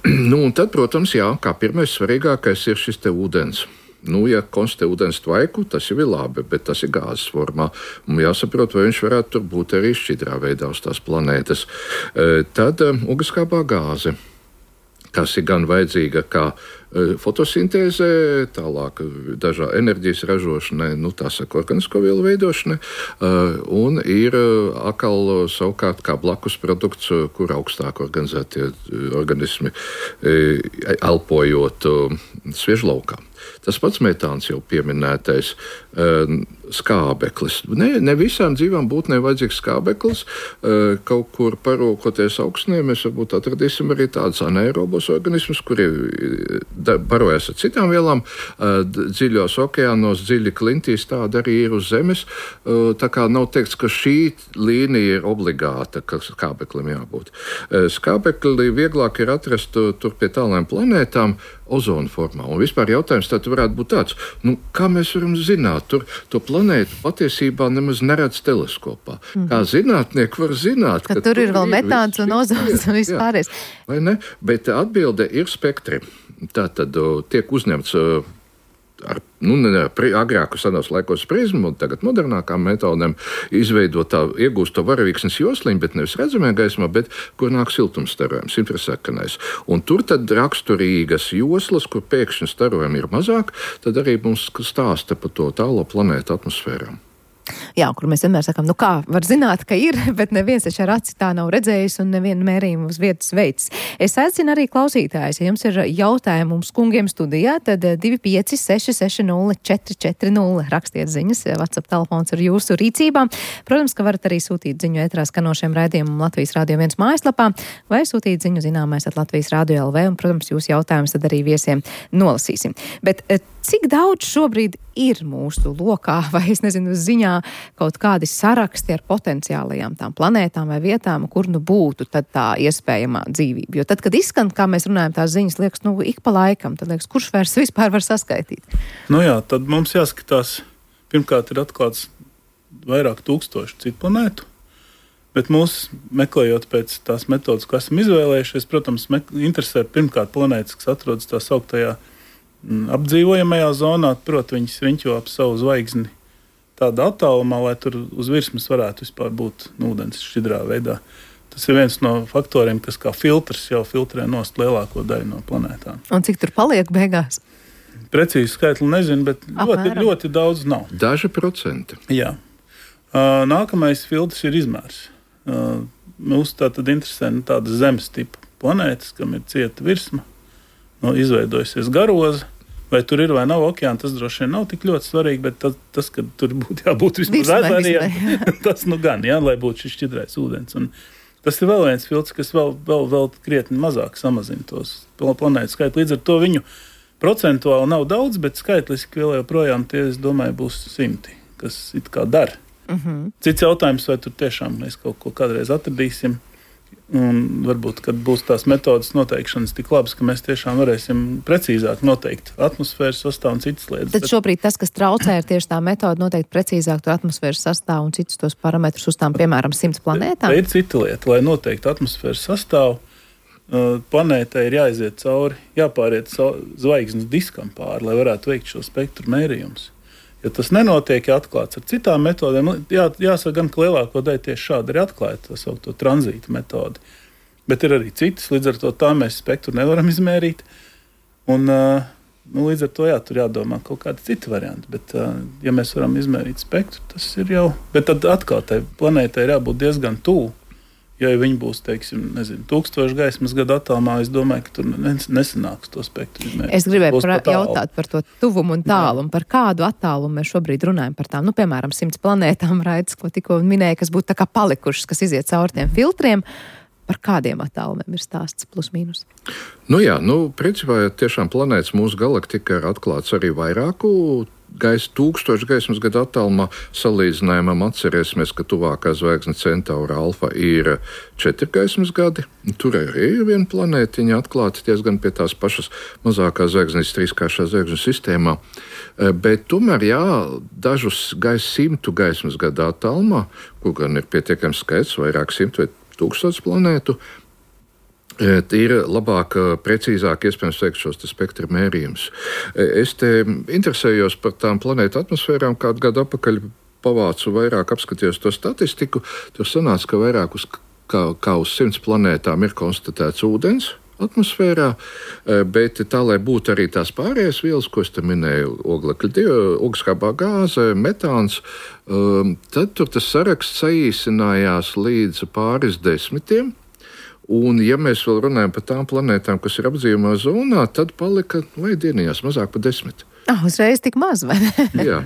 Nu, un tad, protams, jā, kā pirmais svarīgākais ir šis te ūdens. Nu, ja konstatē ūdens tvaiku, tas jau ir labi, bet tas ir gāzes formā. Un jāsaprot, vai viņš varētu tur būt arī šķidrā veidā uz tās planētas. Tad ugunskāpā gāze, kas ir gan vajadzīga kā fotosintēzē, tālāk dažā enerģijas ražošanai, nu tā saka, organisko vielu veidošanai, un ir atkal savukārt kā blakus produkts, kur augstāk organizētie organismi elpojot sviežlaukā. Tas pats metāns jau pieminētais skābeklis. Ne, ne visām dzīvām būtnēm vajadzīgs skābeklis. Kaut kur parūkoties augstnē, mēs varbūt atradīsim arī tādus anaerobos organismus, kuri barojas ar citām vielām. Dziļos okeānos, dziļi klintīs, tāda arī ir uz Zemes. Tā kā nav teikts, ka šī līnija ir obligāta, ka skābeklim jābūt. Skābekli vieglāk ir atrast tur pie tālām planētām ozona formā. Un vispār jautājums tad varētu būt tāds, nu, kā mēs varam zināt, tur to planētu patiesībā nemaz neredz teleskopā. Mm. Kā zinātnieki var zināt, ka, ka tur ir vēl metāns un ozons un vispārējais. Vai ne? Bet atbilde ir spektri. Tātad tiek uzņemts ar, nu, ne, agrāku senos laikos prizmu, un tagad modernākām metodēm izveidot tā, iegūst to varavīksnes josliņu, bet nevis redzamajā gaismā, bet kur nāk siltumstarojums, infrasakanais. Un tur tad raksturīgas joslas, kur pēkšņi starojumi ir mazāk, tad arī mums stāsta par to tālo planētu atmosfērām. Jā, kur mēs vienmēr sakām, nu kā, var zināt, ka ir, bet neviens taču ar aci tā nav redzējis un nevienu mērījumu uz vietas veids. Es aicinu arī klausītājus, ja jums ir jautājumi mums kungiem studijā, tad divi pieci seši seši nulle četri četri nulle rakstiet ziņas, WhatsApp telefons ir jūsu rīcībā. Protams, ka varat arī sūtīt ziņu ētrā skanošiem raidījumam Latvijas Rādio viens mājaslapā vai sūtīt ziņu zināmais at Latvijas Rādio L V, un, protams, jūs jautājumus tad arī viesiem nolasīsim. Bet cik daudz šobrīd ir mūsu lokā, vai es nezinu, ziņā kaut kādi saraksti ar potenciālajām tām planētām vai vietām, kur nu būtu tad tā iespējamā dzīvība? Jo tad, kad izskan, kā mēs runājam, tās ziņas, liekas, nu, ik pa laikam, tad liekas, kurš vairs vispār var saskaitīt? Nu jā, tad mums jāskatās, pirmkārt ir atklāts vairāk tūkstoši citu planētu, bet mūs, meklējot pēc tās metodas, ko esam izvēlējušies, protams, interesē pirmkārt planētas, kas atrodas tā sauktajā apdzīvojamajā zonā, proti viņas riņķo ap savu zvaigzni tādā attālumā, lai tur uz virsmas varētu vispār būt ūdens šķidrā veidā. Tas ir viens no faktoriem, kas kā filtrs jau filtrē nost lielāko daļu no planētām. Un cik tur paliek beigās? Precīzi skaitli nezinu, bet ļoti, ļoti daudz nav. Daži procenti. Jā. Uh, nākamais filtrs ir izmērs. Uh, mūs tā tad interesē nu, tādas zemes tipa planētas, kam ir cieta virsma. nu, izveidojusies garoza. Vai tur ir vai nav okeāna, tas droši vien nav tik ļoti svarīgi, bet tas, tas ka tur būtu jābūt vismaz ezeriem, tas nu gan, jā, lai būtu šis šķidrais ūdens. Un tas ir vēl viens filtrs, kas vēl, vēl, vēl krietni mazāk samazina tos planētu skaitu. Līdz ar to viņu procentuāli nav daudz, bet skaitliski vēl joprojām tie, es domāju, būs simti, kas it kā dara. Uh-huh. Cits jautājums, vai tur tiešām mēs kaut ko kādreiz atradīsim. Un varbūt, kad būs tās metodas noteikšanas tik labas, ka mēs tiešām varēsim precīzāk noteikt atmosfēras sastāvu un citas lietas. Tad šobrīd tas, kas traucē, ir tieši tā metoda noteikt precīzāk to atmosfēras sastāvu un citus tos parametrus uz tām, piemēram, simts planētām? Tā ir cita lieta. Lai noteiktu atmosfēras sastāvu, planētai ir jāiziet cauri, jāpāriet zvaigznes diskam pāri, lai varētu veikt šo spektru mērījumus. Ja tas nenotiek, ja atklāts ar citām metodēm, jā, jāsaka gan, ka lielāko daļu tieši šādi ir atklāta, tā saukto tranzīta metodi. Bet ir arī citas, līdz ar to tā mēs spektru nevaram izmērīt. Un, nu, līdz ar to jā, tur jādomā kaut kādi citi varianti. Bet, ja mēs varam izmērīt spektru, tas ir jau... Bet tad atkal tai planētai ir jābūt diezgan tuvu. Ja viņi būs, teiksim, nezinu, tūkstoši gaismas gadu attālumā, es domāju, ka tur nesanāks to spektru izmērīt. Es gribēju pra, jautāt par to tuvumu un tālumu, par kādu attālumu mēs šobrīd runājam par tām, nu, piemēram, simts planētām raidas, ko tikko minēja, kas būtu tā kā palikušas, kas iziet cauri tiem filtriem. Par kādiem attālumiem ir stāsts plus mīnus? Nu jā, nu, principā, ja tiešām planētas mūsu galaktika ir atklāts arī vairāku gaisa, tūkstoši gaismas gadu attālumā. Salīdzinājumam atcerēsimies, ka tuvākā zvaigzne Centaura Alfa ir četri gaismas gadi. Tur arī ir viena planētiņa atklāta diezgan pie tās pašas mazākās zvaigznes trīskāršā zvaigznes sistēmā. Bet tomēr, jā, dažus gaisa simtu gaismas gadu attālumā, kur gan ir pietiekams skaits, vairāk simtu vai tūkstots planētu, ir labāk, precīzāk iespējams veikt šos spektra mērījumus. Es te interesējos par tām planētu atmosfērām, kādu gadu atpakaļ pavācu vairāk, apskatījos to statistiku. Tur sanāca, ka vairāk uz, kā, kā uz simts planētām ir konstatēts ūdens atmosfērā, bet tā, lai būtu arī tās pārējās vielas, ko es te minēju, oglekļa, ogleskābā gāze, metāns, tad tur tas saraksts saīsinājās līdz pāris desmitiem. Un, ja mēs vēl runājam par tām planētām, kas ir apdzīvojamā zonā, tad palika, vai dienījās, mazāk par desmit. Ah, uzreiz tik maz, vai ne? Jā.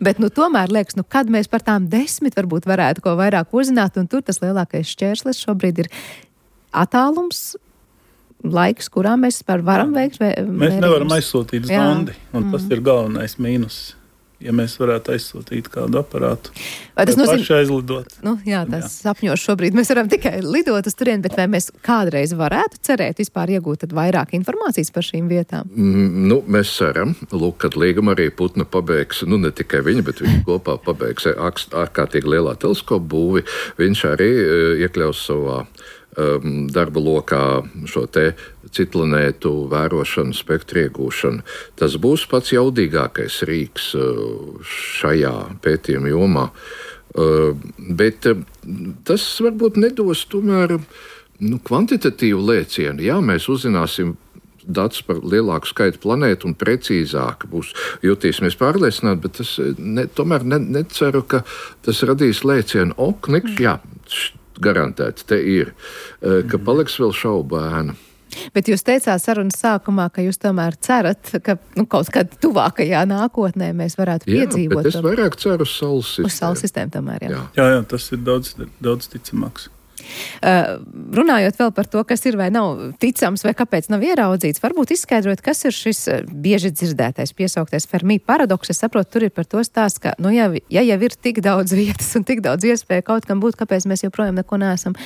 Bet, nu, tomēr liekas, nu, kad mēs par tām desmit varbūt varētu ko vairāk uzzināt, un tur tas lielākais šķērslis šobrīd ir attālums, laiks, kurā mēs varam veikt mērījumus. Mēs nevaram aizsūtīt zondi, un mm. tas ir galvenais mīnus. Ja mēs varētu aizsūtīt kādu aparātu, vai tas nozīmē, paši aizlidot. Nu, jā, tas jā. Sapņos šobrīd mēs varam tikai lidot uz turieni, bet vai mēs kādreiz varētu cerēt vispār iegūt tad vairāk informācijas par šīm vietām? Mm, nu, mēs ceram, lūk, kad līguma arī Putna pabeigs, nu ne tikai viņa, bet viņa kopā pabeigs ārkārtīgi lielā teleskopu būvi, viņš arī iekļaus savā um, darba lokā šo te citplanētu vērošanu, spektru iegūšanu. Tas būs pats jaudīgākais rīks šajā pētījuma jomā. Bet tas varbūt nedos tomēr nu, kvantitatīvu lēcienu. Jā, mēs uzzināsim datus par lielāku skaitu planētu un precīzāk būs jutīsimies pārliecināti, bet tas ne, tomēr ne, neceru, ka tas radīs lēcienu. O, knikš, jā, garantēts, te ir, ka paliks vēl šaubēna. Bet jūs teicāt sarunas sākumā, ka jūs tomēr cerat, ka nu, kaut kādā tuvākajā nākotnē mēs varētu jā, piedzīvot. Jā, bet es vairāk ceru uz Saules sistēmu. Uz Saules sistēmu tomēr, jā. Jā, jā, jā tas ir daudz, daudz ticamāks. Uh, runājot vēl par to, kas ir vai nav ticams, vai kāpēc nav ieraudzīts, varbūt izskaidrot, kas ir šis bieži dzirdētais, piesauktais Fermi paradoks. Es saprotu, tur ir par to stāsts, ka, nu, ja, ja jau ir tik daudz vietas un tik daudz iespēju kaut kam būt, kāpēc mēs joprojām neko neesam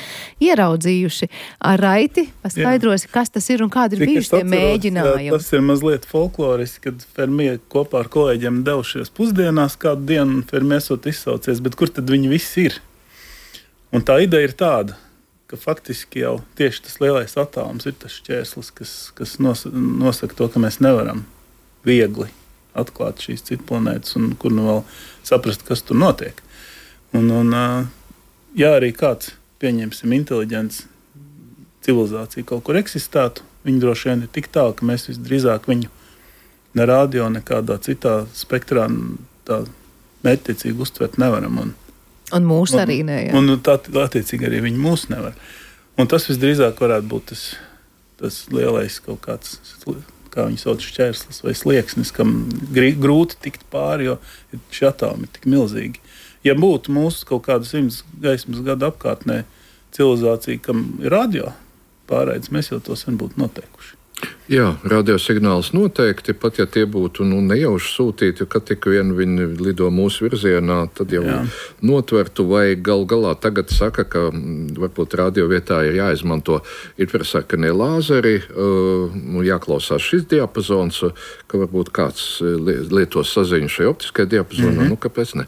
ieraudzījuši. Ar Raiti paskaidrosi, kas tas ir un kādi ir Tik bijuši tie mēģinājumi. Jā, tas ir mazliet folkloriski, kad Fermi kopā ar kolēģiem devušies pusdienās kādu dienu, un Fermi esot izsaucies, bet kur tad viņi visi ir? Un tā ideja ir tāda, ka faktiski jau tieši tas lielais attālums ir tas šķērslis, kas, kas nosaka to, ka mēs nevaram viegli atklāt šīs citplanētas un kur nu vēl saprast, kas tur notiek. Un, un ja arī kāds, pieņemsim, inteliģents civilizācija kaut kur eksistētu, viņi droši vien ir tik tālu, ka mēs visdrīzāk viņu ne radio, nekādā citā spektrā tā mērķtiecīgi uztvert nevaram. Un, Un mūs arī ne, jā. Un, un tā, attiecīgi arī viņi mūs nevar. Un tas visdrīzāk varētu būt tas, tas lielais kaut kāds kā viņi sauc, šķērslis vai slieksnis, kam grūti tikt pāri, jo šie atomi ir tik milzīgi. Ja būtu mūsu kaut kāda simts gaismas gadu apkārtnē civilizācija, kam ir radio pārraides, mēs jau to sen būtu noteikuši. Jā, radiosignāls noteikti, pat ja tie būtu nu, nejauši sūtīti, kad tik vien viņi lido mūsu virzienā, tad jau Jā. notvertu, vai gal galā tagad saka, ka varbūt radio vietā ir jāizmanto infrasarkanie lāzeri, uh, jāklausās šis diapazons, ka varbūt kāds lietos saziņu šai optiskajai diapazonā, mm-hmm. nu kāpēc ne.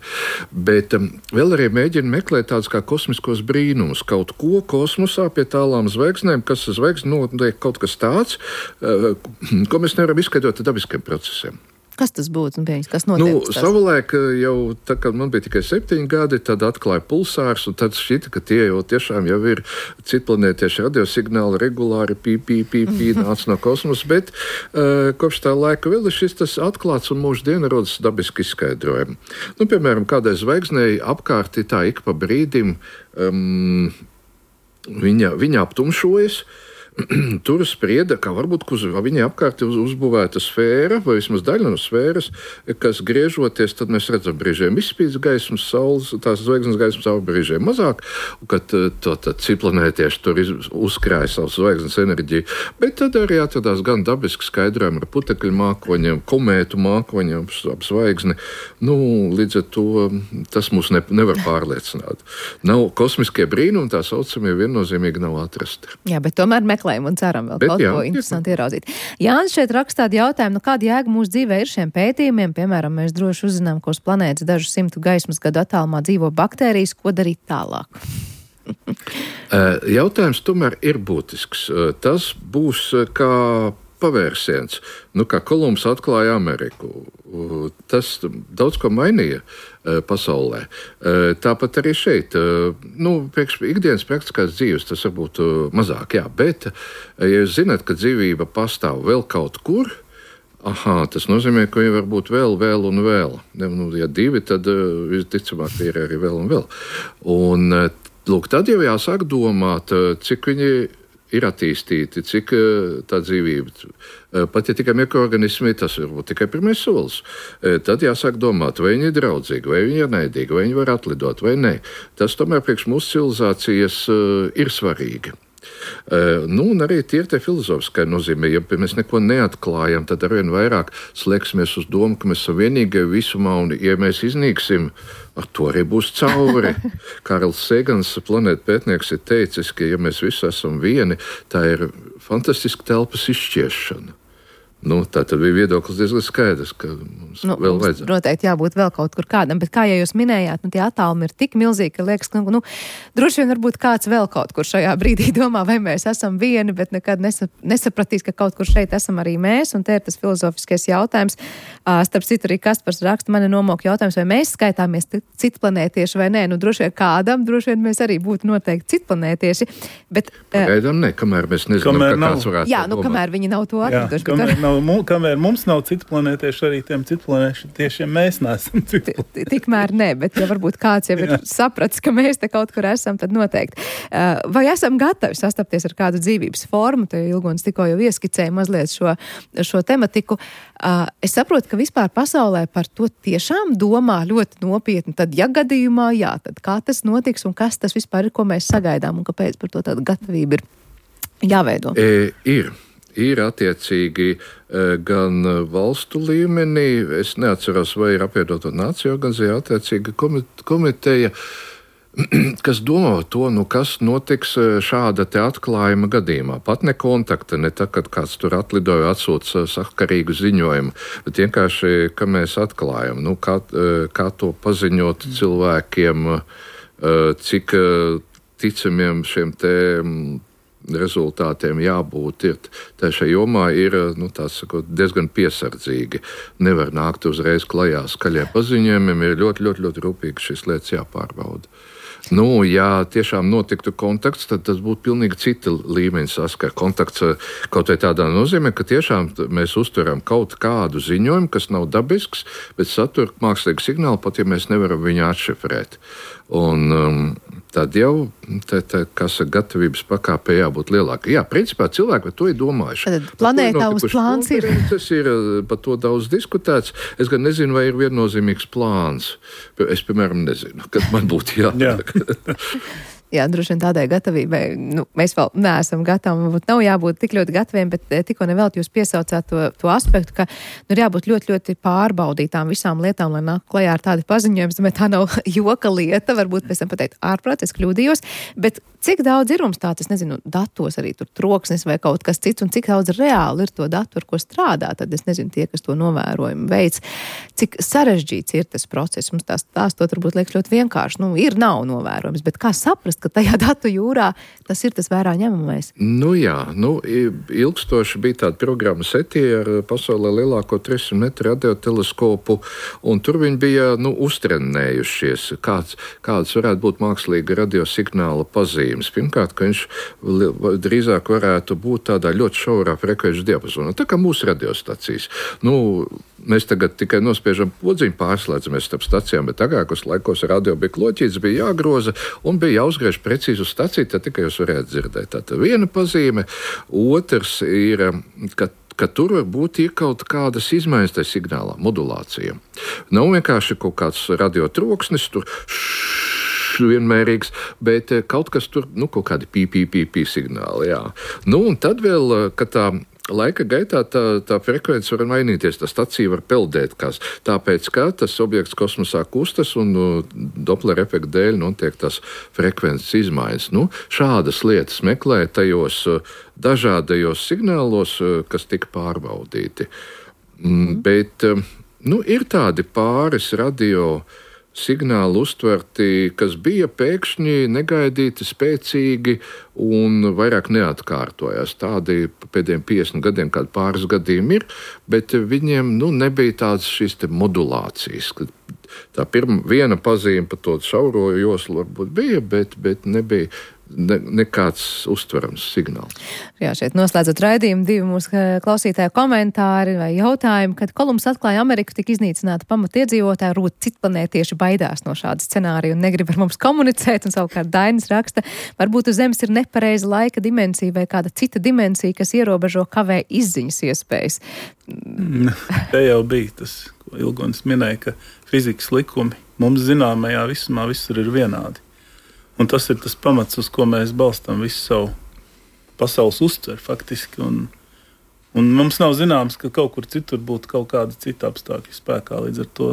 Bet um, vēl arī mēģina meklēt tādus kā kosmiskos brīnumus, kaut ko kosmosā pie tālām zvaigznēm, kas zvaigzne notiek kaut kas tāds, ko mēs nevaram izskaidrot ar dabiskiem procesiem. Kas tas būtu? Kas notiek? Nu, savulaik jau, tā kā man bija tikai septiņi gadi, tad atklāja pulsārs, un tad šķita, ka tie jau tiešām jau ir citplanētieši radiosignāli regulāri pī, pī, pī, pī, nāc no kosmosa, bet uh, kopš tā laika vēl ir šis tas atklāts un mūždiena rodas dabiski izskaidrojumi. Nu, piemēram, kādai zvaigznei apkārt tā ik pa brīdim um, viņa, viņa aptumšojas. Tur sprieda, ka varbūt uz viņai apkārt ir uzbūvēta sfēra, vai vismaz daļa no sfēras, kas griežoties, tad mēs redzam brīžiem izspīdz gaismas, saules, tās zvaigznes gaismas savu brīžiem mazāk, un kad to citplanētieši tur uzkrāja savu zvaigznes enerģiju. Bet tad arī atradās gan dabiski skaidrojumi ar putekļu mākoņiem, komētu mākoņiem ap zvaigzni. Nu, līdz ar to tas mūs ne, nevar pārliecināt. Nav kosmiskie brīnumi, tā saucamie viennozīmīgi nav atrasti. Jā, bet tomēr meklējam un ceram vēl Bet, kaut jā, ko interesanti jā. Ieraudzīt. Jānis šeit raksta tādu jautājumu, nu kāda jēga mūsu dzīvē ir šiem pētījumiem? Piemēram, mēs droši uzzinām, ka uz planētas dažu simtu gaismas gadu attālumā dzīvo baktērijas, ko darīt tālāk? Jautājums tomēr ir būtisks. Tas būs kā pavērsiens. Nu, kā Kolumbs atklāja Ameriku. Tas daudz ko mainīja pasaulē. Tāpat arī šeit. Nu, priekš ikdienas praktiskās dzīves tas varbūt mazāk, jā, bet, ja jūs zināt, ka dzīvība pastāv vēl kaut kur, aha, tas nozīmē, ka viņi var būt vēl, vēl un vēl. Nu, ja divi, tad visticamāk ir arī vēl un vēl. Un, lūk, tad jau jāsāk domāt, cik viņi ir attīstīti, cik tā dzīvība, pat ja tikai mikroorganismi, tas varbūt tikai pirmais solis. Tad jāsāk domāt, vai viņi ir draudzīgi, vai viņi ir naidīgi, vai viņi var atlidot, vai nē. Tas tomēr priekš mūsu civilizācijas ir svarīgi. Nu, un arī tie ir tie filozofiskai nozīmē. Ja mēs neko neatklājam, tad arvien vairāk slēgsimies uz domu, ka mēs esam vienīgie visumā, un ja mēs iznīksim, ar to arī būs cauri. Kārls Segans, planētu pētnieks, ir teicis, ka ja mēs visi esam vieni, tā ir fantastiska telpas izšķiešana. Nu, tā tad bija viedoklis diezgan skaidrs, ka mums nu, vēl vajadzētu. Noteikti jābūt vēl kaut kur kādam, bet kā jau jūs minējāt, nu, tie attālumi ir tik milzīgi, ka liekas, ka nu, droši vien varbūt kāds vēl kaut kur šajā brīdī domā, vai mēs esam vieni, bet nekad nesap, nesapratīs, ka kaut kur šeit esam arī mēs, un te ir tas filozofiskais jautājums. Uh, starp citu arī Kaspars raksta, mani nomok jautājums, vai mēs skaitāmies citplanētieši vai nē. Nu, droši vien kādam, droši vien mēs arī būtu noteikti citplanētieši, bet... Uh, Pagaidām ne, kamēr mēs nezinām, kamēr ka nav. kāds varētu Jā, nu, kamēr viņi nav to atraduši. Kamēr mums nav citplanētieši, arī tiem citplanētiešiem mēs neesam citplanētieši. Tikmēr ne, bet ja varbūt kāds jau ir sapratis, ka mēs te kaut kur esam, tad noteikti. Vai esam gatavi sastapties ar kādu dzīvības formu? Te Ilgons tikko jau ieskicēja mazliet šo, šo tematiku. Es saprotu, ka vispār pasaulē par to tiešām domā ļoti nopietni. Tad, ja gadījumā, jā, tad kā tas notiks un kas tas vispār ir, ko mēs sagaidām un kāpēc par to tāda gatavība ir jāveido? E, ir. Ir attiecīgi gan valstu līmenī, es neatceros, vai ir apvienoto nāciju organizācija attiecīga komiteja, kas domā to, nu, kas notiks šāda te atklājuma gadījumā. Pat ne kontakta, ne tā, kad kāds tur atlidoja, atsūta sakarīgu ziņojumu, bet vienkārši, ka mēs atklājam, nu, kā, kā to paziņot cilvēkiem, cik ticamiem šiem te rezultātiem jābūt. Ir, tā šajā jomā ir nu, sakot, diezgan piesardzīgi. Nevar nākt uzreiz klajā skaļiem paziņojumiem, ir ļoti, ļoti, ļoti rūpīgi šīs lietas jāpārbauda. Nu, ja tiešām notiktu kontakts, tad tas būtu pilnīgi cita līmeņa saskara. Kontakts kaut vai tādā nozīmē, ka tiešām mēs uzturam kaut kādu ziņojumu, kas nav dabisks, bet satur mākslīgu signālu, pat ja mēs nevaram viņu atšifrēt. Un, um, tad jau tā, tā, gatavības pakāpē jābūt lielākai. Jā, principā cilvēki par to ir domājuši. Tad planētāvs plāns ir. Tas ir par to daudz diskutēts. Es gan nezinu, vai ir viennozīmīgs plāns. Es, piemēram, nezinu, kad man būtu jānāk. Jā. Jā, droši vien tādai gatavībai, nu, mēs vēl neesam gatavi, varbūt nav jābūt tik ļoti gataviem, bet tikko nevēlt jūs piesaucāt to, to aspektu, ka nu, ir jābūt ļoti, ļoti pārbaudītām visām lietām, lai nāk klajā ar tādu paziņojumu, bet tā nav joka lieta, varbūt pēc tam pateikt ārprāt, es kļūdījos, bet cik daudz ir mums tāds, es nezinu, datos arī tur troksnis vai kaut kas cits, un cik daudz reāli ir to datu, ar ko strādā, tad es nezinu, tie, kas to novērojumu veids, cik sarežģīts ir tas process, mums tās stāstot varbūt liekas ļoti vienkārši, nu, ir, nav novērojums, bet kā saprast, ka tajā datu jūrā tas ir tas vērā ņemamais? Nu jā, nu, ilgstoši bija tāda programma SETI ar pasaulē lielāko trīssimt metru radioteleskopu, un tur viņi bija, nu, uztrenējušies, kāds, kāds varētu būt mākslīga radiosignāla pazīmes. Pirmkārt, ka viņš drīzāk varētu būt tādā ļoti šaurā frekvenču diapazonā, tā kā mūsu radiostacijas. Nu, mēs tagad tikai nospiežam podziņu, pārslēdzamies starp stacijām, bet agrākos laikos radio bija kloķīts, bija jāgroza un bija jāuzgriež precīzi uz staciju, tad tikai jūs varētu dzirdēt. Tātad viena pazīme, otrs ir, ka ka tur var būt iekaut kādas izmaiņas tajā signālā, modulācija. Nav vienkārši kaut kāds radiotroksnis, tur vienmērīgs, bet kaut kas tur, nu, kaut kādi pī, pī, pī, pī signāli, jā. Nu, un tad vēl, ka tā laika gaitā tā, tā frekvence var mainīties, tā stacija var peldēt, kas, tāpēc, ka tas objekts kosmosā kustas un nu, Doppler efekta dēļ notiek tas frekvences izmaiņas. Nu, šādas lietas meklē tajos dažādajos signālos, kas tika pārbaudīti. Mm. Bet, nu, ir tādi pāris radio signāli uztverti, kas bija pēkšņi negaidīti, spēcīgi un vairāk neatkārtojās. Tādi pēdējiem piecdesmit gadiem, kādi pāris gadījumi ir, bet viņiem nu, nebija tādas šīs te modulācijas. Tā pirma viena pazīme par to šauro joslu varbūt bija, bet, bet nebija ne, nekāds uztverams signāls. Jā, šeit noslēdzot raidījumu, divi mūsu klausītāju komentāri vai jautājumi, kad Kolumbs atklāja Ameriku, tika iznīcināta pamatiedzīvotāji, rūt citplanētieši baidās no šāda scenārija un negrib ar mums komunicēt, un savukārt Dainis raksta, varbūt uz Zemes ir nepareiza laika dimensija vai kāda cita dimensija, kas ierobežo kavē izziņas iespējas. Te jau bija tas, ko Ilgonis minēja, ka fizikas likumi mums zināmajā visumā visur ir vienādi. Un tas ir tas pamats, uz ko mēs balstām visu savu pasaules uztveri faktiski. Un, un mums nav zināms, ka kaut kur citur būtu kaut kāda cita apstākļa spēkā, līdz ar to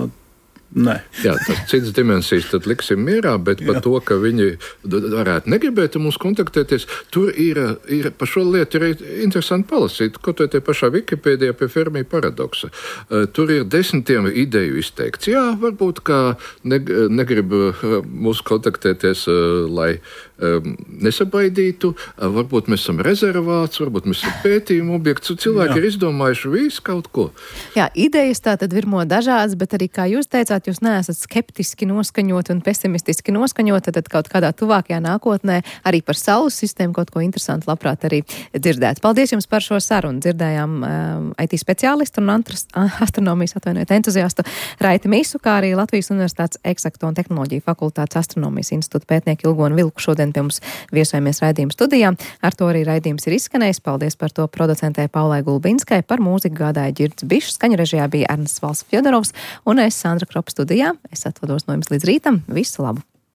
nē. Jā, tas citas dimensijas tad liksim mierā, bet par to, ka viņi varētu negribēt mums kontaktēties, tur ir, ir par šo lietu ir interesanti palasīt, kaut vai tie pašā Wikipēdijā pie Fermi paradoksa. Tur ir desmitiem ideju izteikts. Jā, varbūt, ka negrib mūs kontaktēties, lai nesabaidītu, varbūt mēs esam rezervāts, varbūt mēs esam pētījumu objekts, cilvēki Jā. Ir izdomājuši visu kaut ko. Jā, idejas tā tad virmo dažādas, bet arī, kā jūs teicāt, jūs neesat skeptiski noskaņot un pesimistiski noskaņot, tad kaut kādā tuvākajā nākotnē arī par Saules sistēmu kaut ko interesantu labprāt arī dzirdēt. Paldies jums par šo sarunu. Dzirdējām um, I T speciālistu un astronomijas atvainojiet entuziastu Raiti Mīsu, kā arī Latvijas Universitātes Eksakto un tehnoloģiju fakultātes astronomijas institūta pētnieku Ilgonu Vilku šodien pie mums viesojamies raidījuma studijā. Ar to arī raidījums ir izskanējis. Paldies par to producentē Paulai Gulbinskai, par mūziku gādāja Ģirds Bišs, skaņu režijā bija Ernests Valsts Fjodorovs un es Sandra Kropa studijā. Es atvados no jums līdz rītam. Visu labu!